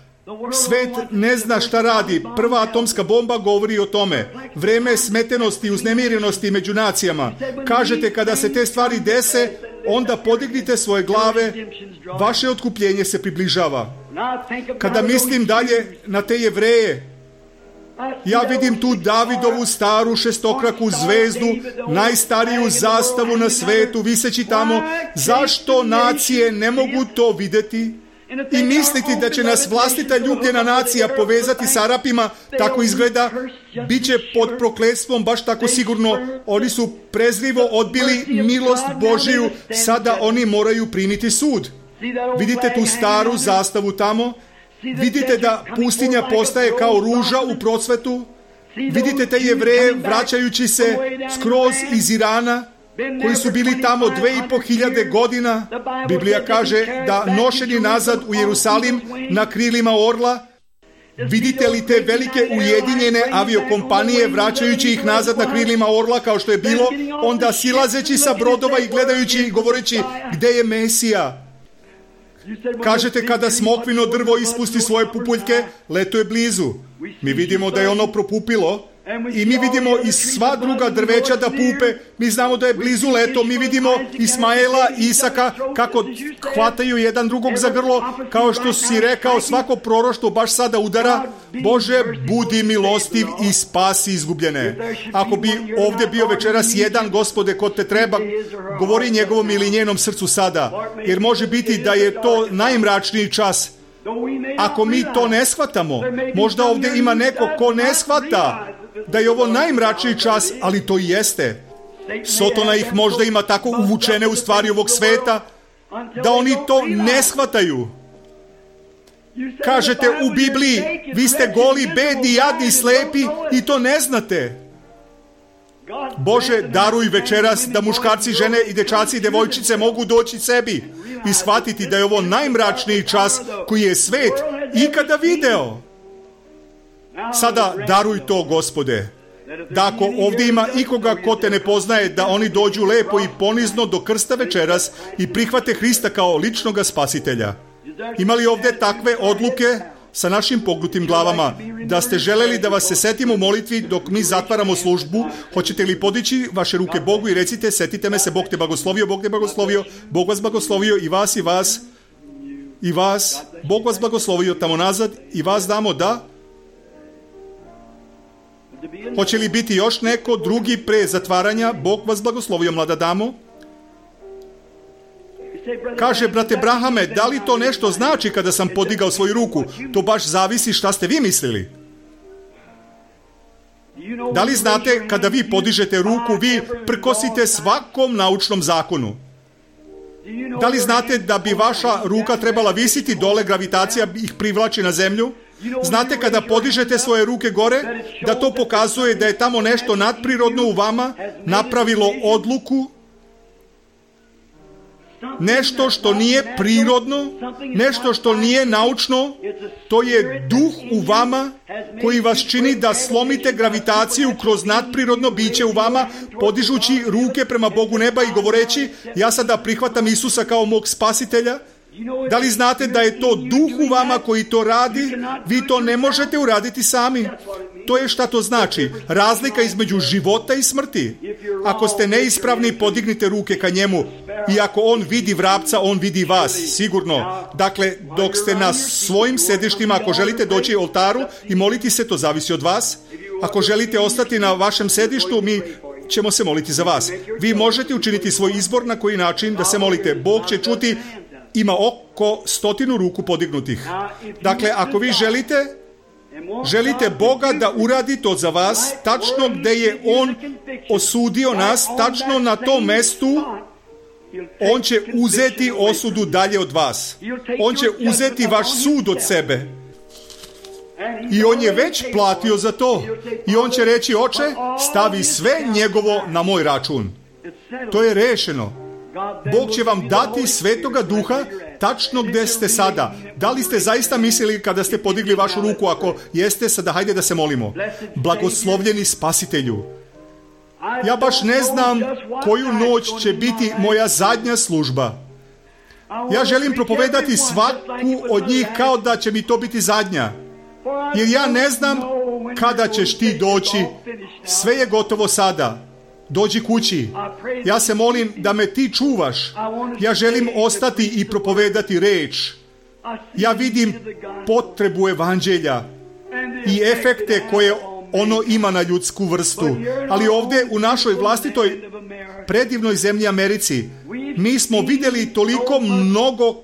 Svet ne zna šta radi. Prva atomska bomba govori o tome. Vreme smetenosti i uznemirenosti među nacijama. Kažete, kada se te stvari dese, onda podignite svoje glave, vaše otkupljenje se približava. Kada mislim dalje na te Jevreje, ja vidim tu Davidovu staru šestokraku zvezdu, najstariju zastavu na svetu, viseći tamo. Zašto nacije ne mogu to vidjeti? I misliti da će nas vlastita ljubljena nacija povezati s Arapima, tako izgleda, bit će pod prokletstvom baš tako sigurno. Oni su prezrivo odbili milost Božiju, sada oni moraju primiti sud. Vidite tu staru zastavu tamo? Vidite da pustinja postaje kao ruža u procvetu? Vidite te Jevreje vraćajući se skroz iz Irana, koji su bili tamo dve i po hiljade godina? Biblija kaže da nošeni nazad u Jerusalim na krilima orla. Vidite li te velike ujedinjene aviokompanije vraćajući ih nazad na krilima orla kao što je bilo, onda silazeći sa brodova i gledajući i govoreći, gde je Mesija? Kažete, kada smokvino drvo ispusti svoje pupuljke, leto je blizu. Mi vidimo da je ono propupilo. I mi vidimo i sva druga drveća da pupe, mi znamo da je blizu leto, mi vidimo Ismaela, Isaka, kako hvataju jedan drugog za grlo, kao što si rekao, svako proroštvo baš sada udara. Bože, budi milostiv i spasi izgubljene. Ako bi ovdje bio večeras jedan, Gospode, ko te treba, govori njegovom ili njenom srcu sada, jer može biti da je to najmračniji čas. Ako mi to ne shvatamo, možda ovdje ima neko ko ne shvata da je ovo najmračniji čas, ali to i jeste. Sotona ih možda ima tako uvučene u stvari ovog sveta, da oni to ne shvataju. Kažete u Bibliji, vi ste goli, bedni, jadni, slepi i to ne znate. Bože, daruj večeras da muškarci, žene i dečaci i devojčice mogu doći sebi i shvatiti da je ovo najmračniji čas koji je svet ikada video. Sada daruj to, Gospode, da ako ovdje ima ikoga ko te ne poznaje, da oni dođu lepo i ponizno do krsta večeras i prihvate Hrista kao ličnoga spasitelja. Ima li ovdje takve odluke sa našim pognutim glavama, da ste želeli da vas se setimo u molitvi dok mi zatvaramo službu? Hoćete li podići vaše ruke Bogu i recite, setite me se, Bog te blagoslovio, Bog te blagoslovio, Bog vas blagoslovio i vas i vas i vas, Bog vas blagoslovio tamo nazad i vas damo da. Hoće li biti još neko drugi pre zatvaranja? Bog vas blagoslovio, mlada damo. Kaže, brate Brahame, da li to nešto znači kada sam podigao svoju ruku? To baš zavisi šta ste vi mislili. Da li znate, kada vi podižete ruku, vi prkosite svakom naučnom zakonu? Da li znate da bi vaša ruka trebala visiti dole, gravitacija ih privlači na zemlju? Znate, kada podižete svoje ruke gore, da to pokazuje da je tamo nešto nadprirodno u vama napravilo odluku, nešto što nije prirodno, nešto što nije naučno, to je duh u vama koji vas čini da slomite gravitaciju kroz nadprirodno biće u vama, podižući ruke prema Bogu neba i govoreći, ja sada prihvatam Isusa kao mog spasitelja. Da li znate da je to duh u vama koji to radi? Vi to ne možete uraditi sami. To je šta to znači. Razlika između života i smrti. Ako ste neispravni, podignite ruke ka njemu. I ako on vidi vrapca, on vidi vas, sigurno. Dakle, dok ste na svojim sedištima, ako želite doći oltaru i moliti se, to zavisi od vas. Ako želite ostati na vašem sedištu, mi ćemo se moliti za vas. Vi možete učiniti svoj izbor na koji način da se molite. Bog će čuti. Ima oko stotinu ruku podignutih. Dakle, ako vi želite, želite Boga da uradi to za vas, tačno gde je On osudio nas, tačno na tom mestu, On će uzeti osudu dalje od vas. On će uzeti vaš sud od sebe. I On je već platio za to. I On će reći, oče, stavi sve njegovo na moj račun. To je rešeno. Bog će vam dati Svetoga Duha tačno gde ste sada. Da li ste zaista mislili kada ste podigli vašu ruku? Ako jeste, sada hajde da se molimo. Blagoslovljeni Spasitelju, ja baš ne znam koju noć će biti moja zadnja služba. Ja želim propovedati svaku od njih kao da će mi to biti zadnja. Jer ja ne znam kada ćeš ti doći. Sve je gotovo sada. Dođi kući. Ja se molim da me ti čuvaš. Ja želim ostati i propovedati reč. Ja vidim potrebu evanđelja i efekte koje ono ima na ljudsku vrstu. Ali ovdje u našoj vlastitoj predivnoj zemlji Americi mi smo vidjeli toliko mnogo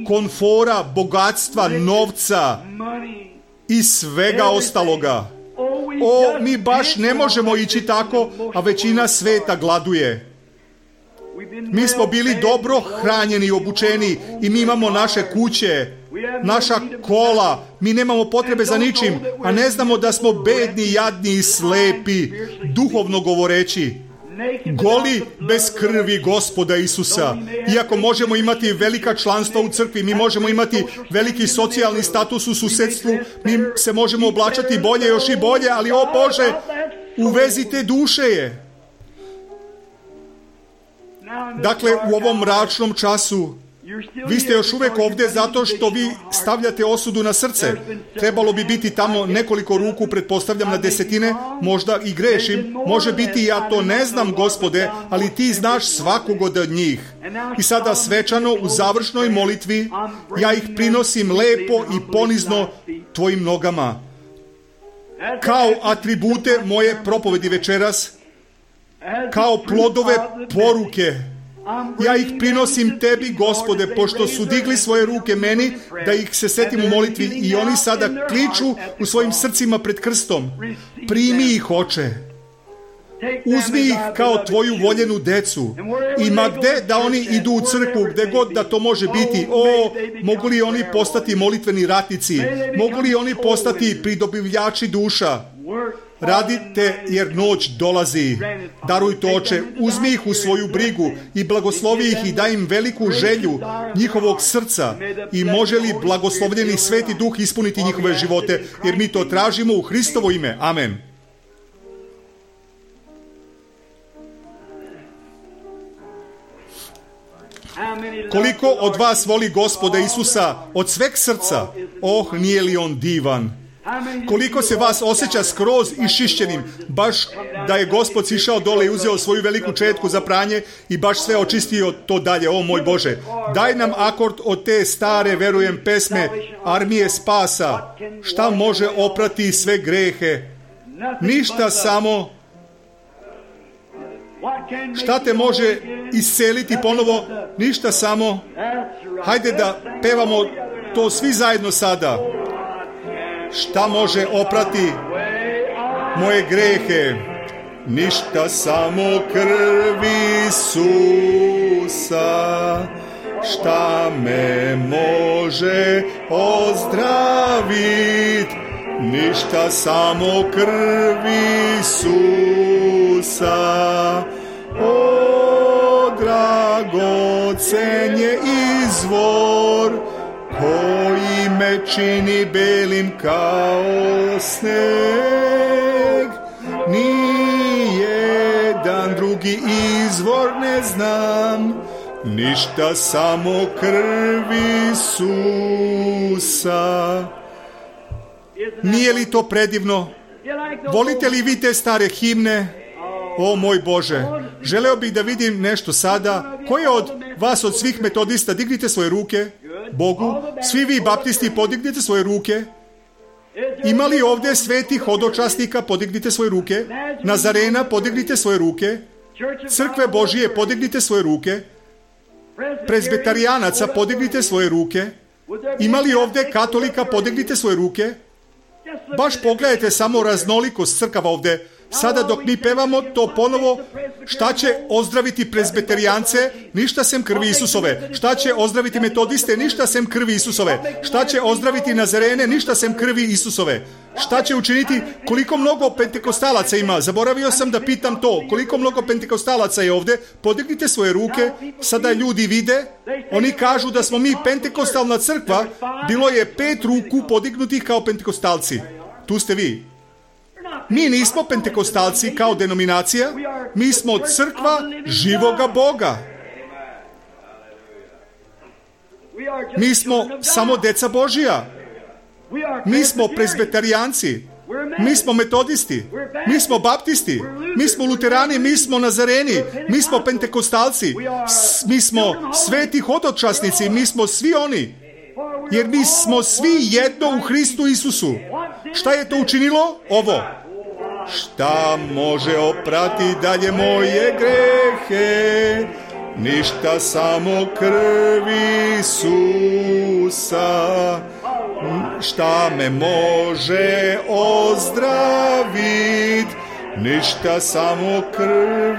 komfora, bogatstva, novca i svega ostaloga. O, mi baš ne možemo ići tako, a većina sveta gladuje. Mi smo bili dobro hranjeni i obučeni i mi imamo naše kuće, naša kola, mi nemamo potrebe za ničim, a ne znamo da smo bedni, jadni i slepi, duhovno govoreći. Goli bez krvi Gospoda Isusa. Iako možemo imati velika članstva u crkvi, mi možemo imati veliki socijalni status u susedstvu, mi se možemo oblačati bolje, još i bolje, ali o Bože, uvezite duše je. Dakle, u ovom mračnom času Vi ste još uvijek ovdje zato što vi stavljate osudu na srce. Trebalo bi biti tamo nekoliko ruku, pretpostavljam na desetine, možda i grešim. Može biti ja to ne znam, Gospode, ali ti znaš svakog od njih. I sada svečano u završnoj molitvi ja ih prinosim lepo i ponizno tvojim nogama. Kao atribute moje propovedi večeras, kao plodove poruke, ja ih prinosim tebi, Gospode, pošto su digli svoje ruke meni, da ih se setim u molitvi i oni sada kliču u svojim srcima pred krstom. Primi ih, Oče. Uzmi ih kao tvoju voljenu decu. I ma gde da oni idu u crkvu, gde god da to može biti, o, mogu li oni postati molitveni ratnici? Mogu li oni postati pridobivljači duša? Radite jer noć dolazi. Daruj to, Oče, uzmi ih u svoju brigu i blagoslovi ih i daj im veliku želju njihovog srca i može li blagoslovljeni Sveti Duh ispuniti njihove živote, jer mi to tražimo u Hristovo ime. Amen. Koliko od vas voli Gospoda Isusa od sveg srca? Oh, nije li on divan? Koliko se vas osjeća skroz išišćenim, baš da je Gospod sišao dole i uzeo svoju veliku četku za pranje i baš sve očistio to dalje. O moj Bože, daj nam akord od te stare, verujem, pesme Armije spasa. Šta može oprati sve grehe? Ništa, samo šta te može isceliti ponovo? Ništa, samo hajde da pevamo to svi zajedno sada. Šta može oprati moje grehe? Ništa, samo krv Isusa. Šta me može ozdravit? Ništa, samo krv Isusa. O, dragocen je izvor koji me čini belim kao sneg. Nijedan drugi izvor ne znam, ništa, samo krv Isusa. Nije li to predivno? Volite li vi te stare himne? O moj Bože, želeo bih da vidim nešto sada. Ko je od vas, od svih metodista, dignite svoje ruke Bogu. Svi vi baptisti, podignite svoje ruke. Ima li ovdje svetih hodočasnika? Podignite svoje ruke. Nazarena, podignite svoje ruke. Crkve Božije, podignite svoje ruke. Prezbetarijanaca, podignite svoje ruke. Ima li ovdje katolika? Podignite svoje ruke. Baš pogledajte samo raznolikost crkava ovdje. Sada dok mi pevamo to ponovo, šta će ozdraviti prezbiterijance? Ništa sem krvi Isusove. Šta će ozdraviti metodiste? Ništa sem krvi Isusove. Šta će ozdraviti Nazarene? Ništa sem krvi Isusove. Šta će učiniti? Koliko mnogo pentekostalaca ima? Zaboravio sam da pitam to. Koliko mnogo pentekostalaca je ovdje? Podignite svoje ruke. Sada ljudi vide. Oni kažu da smo mi pentekostalna crkva. Bilo je pet ruku podignutih kao pentekostalci. Tu ste vi. Mi nismo pentekostalci kao denominacija, mi smo crkva živoga Boga. Mi smo samo deca Božija. Mi smo prezbetarijanci. Mi smo metodisti. Mi smo baptisti. Mi smo luterani. Mi smo nazareni. Mi smo pentekostalci. Mi smo sveti hodočasnici. Mi smo svi oni. Jer mi smo svi jedno u Hristu Isusu. Šta je to učinilo? Ovo. Šta može oprati dalje moje grehe? Ništa, samo krv Isusa. Šta me može ozdravit? Ništa, samo krv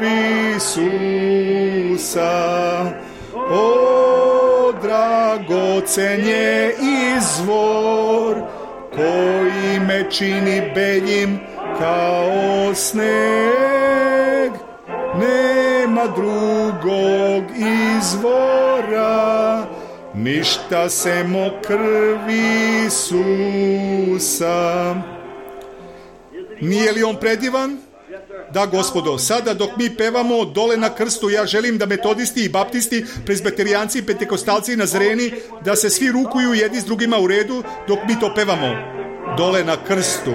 Isusa. O, dragocen je izvor koji me čini beljim kao sneg. Nema drugog izvora, ništa semo krvi Isusa. Nije li on predivan? Da, Gospodo, sada dok mi pevamo dole na krstu, ja želim da metodisti i baptisti, prezbeterijanci i pentekostalci i nazareni, da se svi rukuju jedni s drugima u redu dok mi to pevamo dole na krstu.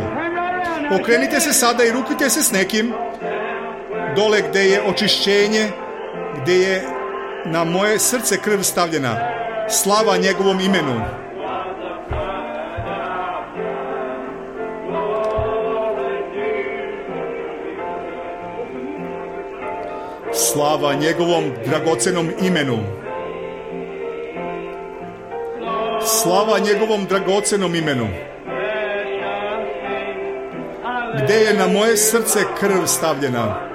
Okrenite se sada i rukujte se s nekim dole gde je očišćenje, gde je na moje srce krv stavljena. Slava njegovom imenu. Slava njegovom dragocenom imenu. Slava njegovom dragocenom imenu. Gde je na moje srce krv stavljena.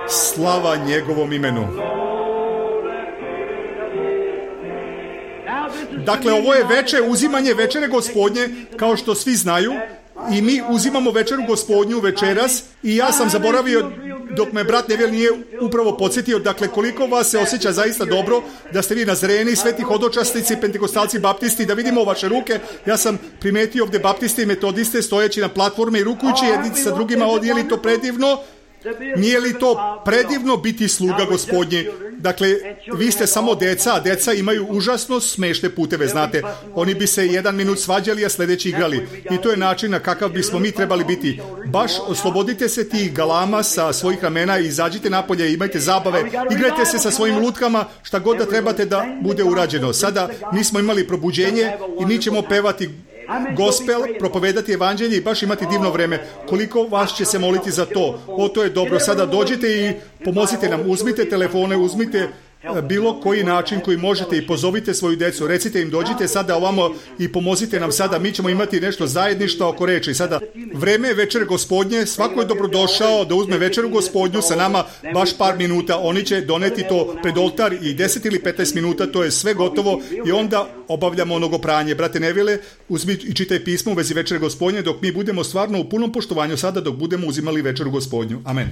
Slava njegovom imenu. Dakle, ovo je veče, uzimanje večere Gospodnje, kao što svi znaju, i mi uzimamo večeru Gospodnju večeras, i ja sam zaboravio, dok me brat Neville nije upravo podsjetio, dakle, koliko vas se osjeća zaista dobro, da ste vi nazareni, sveti hodočasnici, pentekostalci, baptisti, da vidimo vaše ruke. Ja sam primetio ovdje baptiste i metodiste stojeći na platforme i rukujući jedni sa drugima. Nije li to predivno? Nije li to predivno biti sluga Gospodnji? Dakle, vi ste samo deca, a deca imaju užasno smešne puteve, znate. Oni bi se jedan minut svađali, a sljedeći igrali. I to je način na kakav bismo mi trebali biti. Baš oslobodite se tih galama sa svojih ramena i izađite napolje, imajte zabave, igrajte se sa svojim lutkama, šta god da trebate da bude urađeno. Sada mi smo imali probuđenje i mi ćemo pevati gospel, propovedati evanđelje i baš imati divno vreme. Koliko vas će se moliti za to? O, to je dobro. Sada dođite i pomozite nam. Uzmite telefone, uzmite bilo koji način koji možete i pozovite svoju decu. Recite im, dođite sada ovamo i pomozite nam sada. Mi ćemo imati nešto zajedništvo oko reči. Sada vreme je večer Gospodnje. Svako je dobrodošao da uzme večeru Gospodnju sa nama baš par minuta. Oni će doneti to pred oltar i deset ili petnaest minuta. To je sve gotovo i onda obavljamo onogo pranje. Brate Neville, uzmi i čitaj pismo u vezi večere Gospodnje dok mi budemo stvarno u punom poštovanju sada dok budemo uzimali večeru Gospodnju. Amen.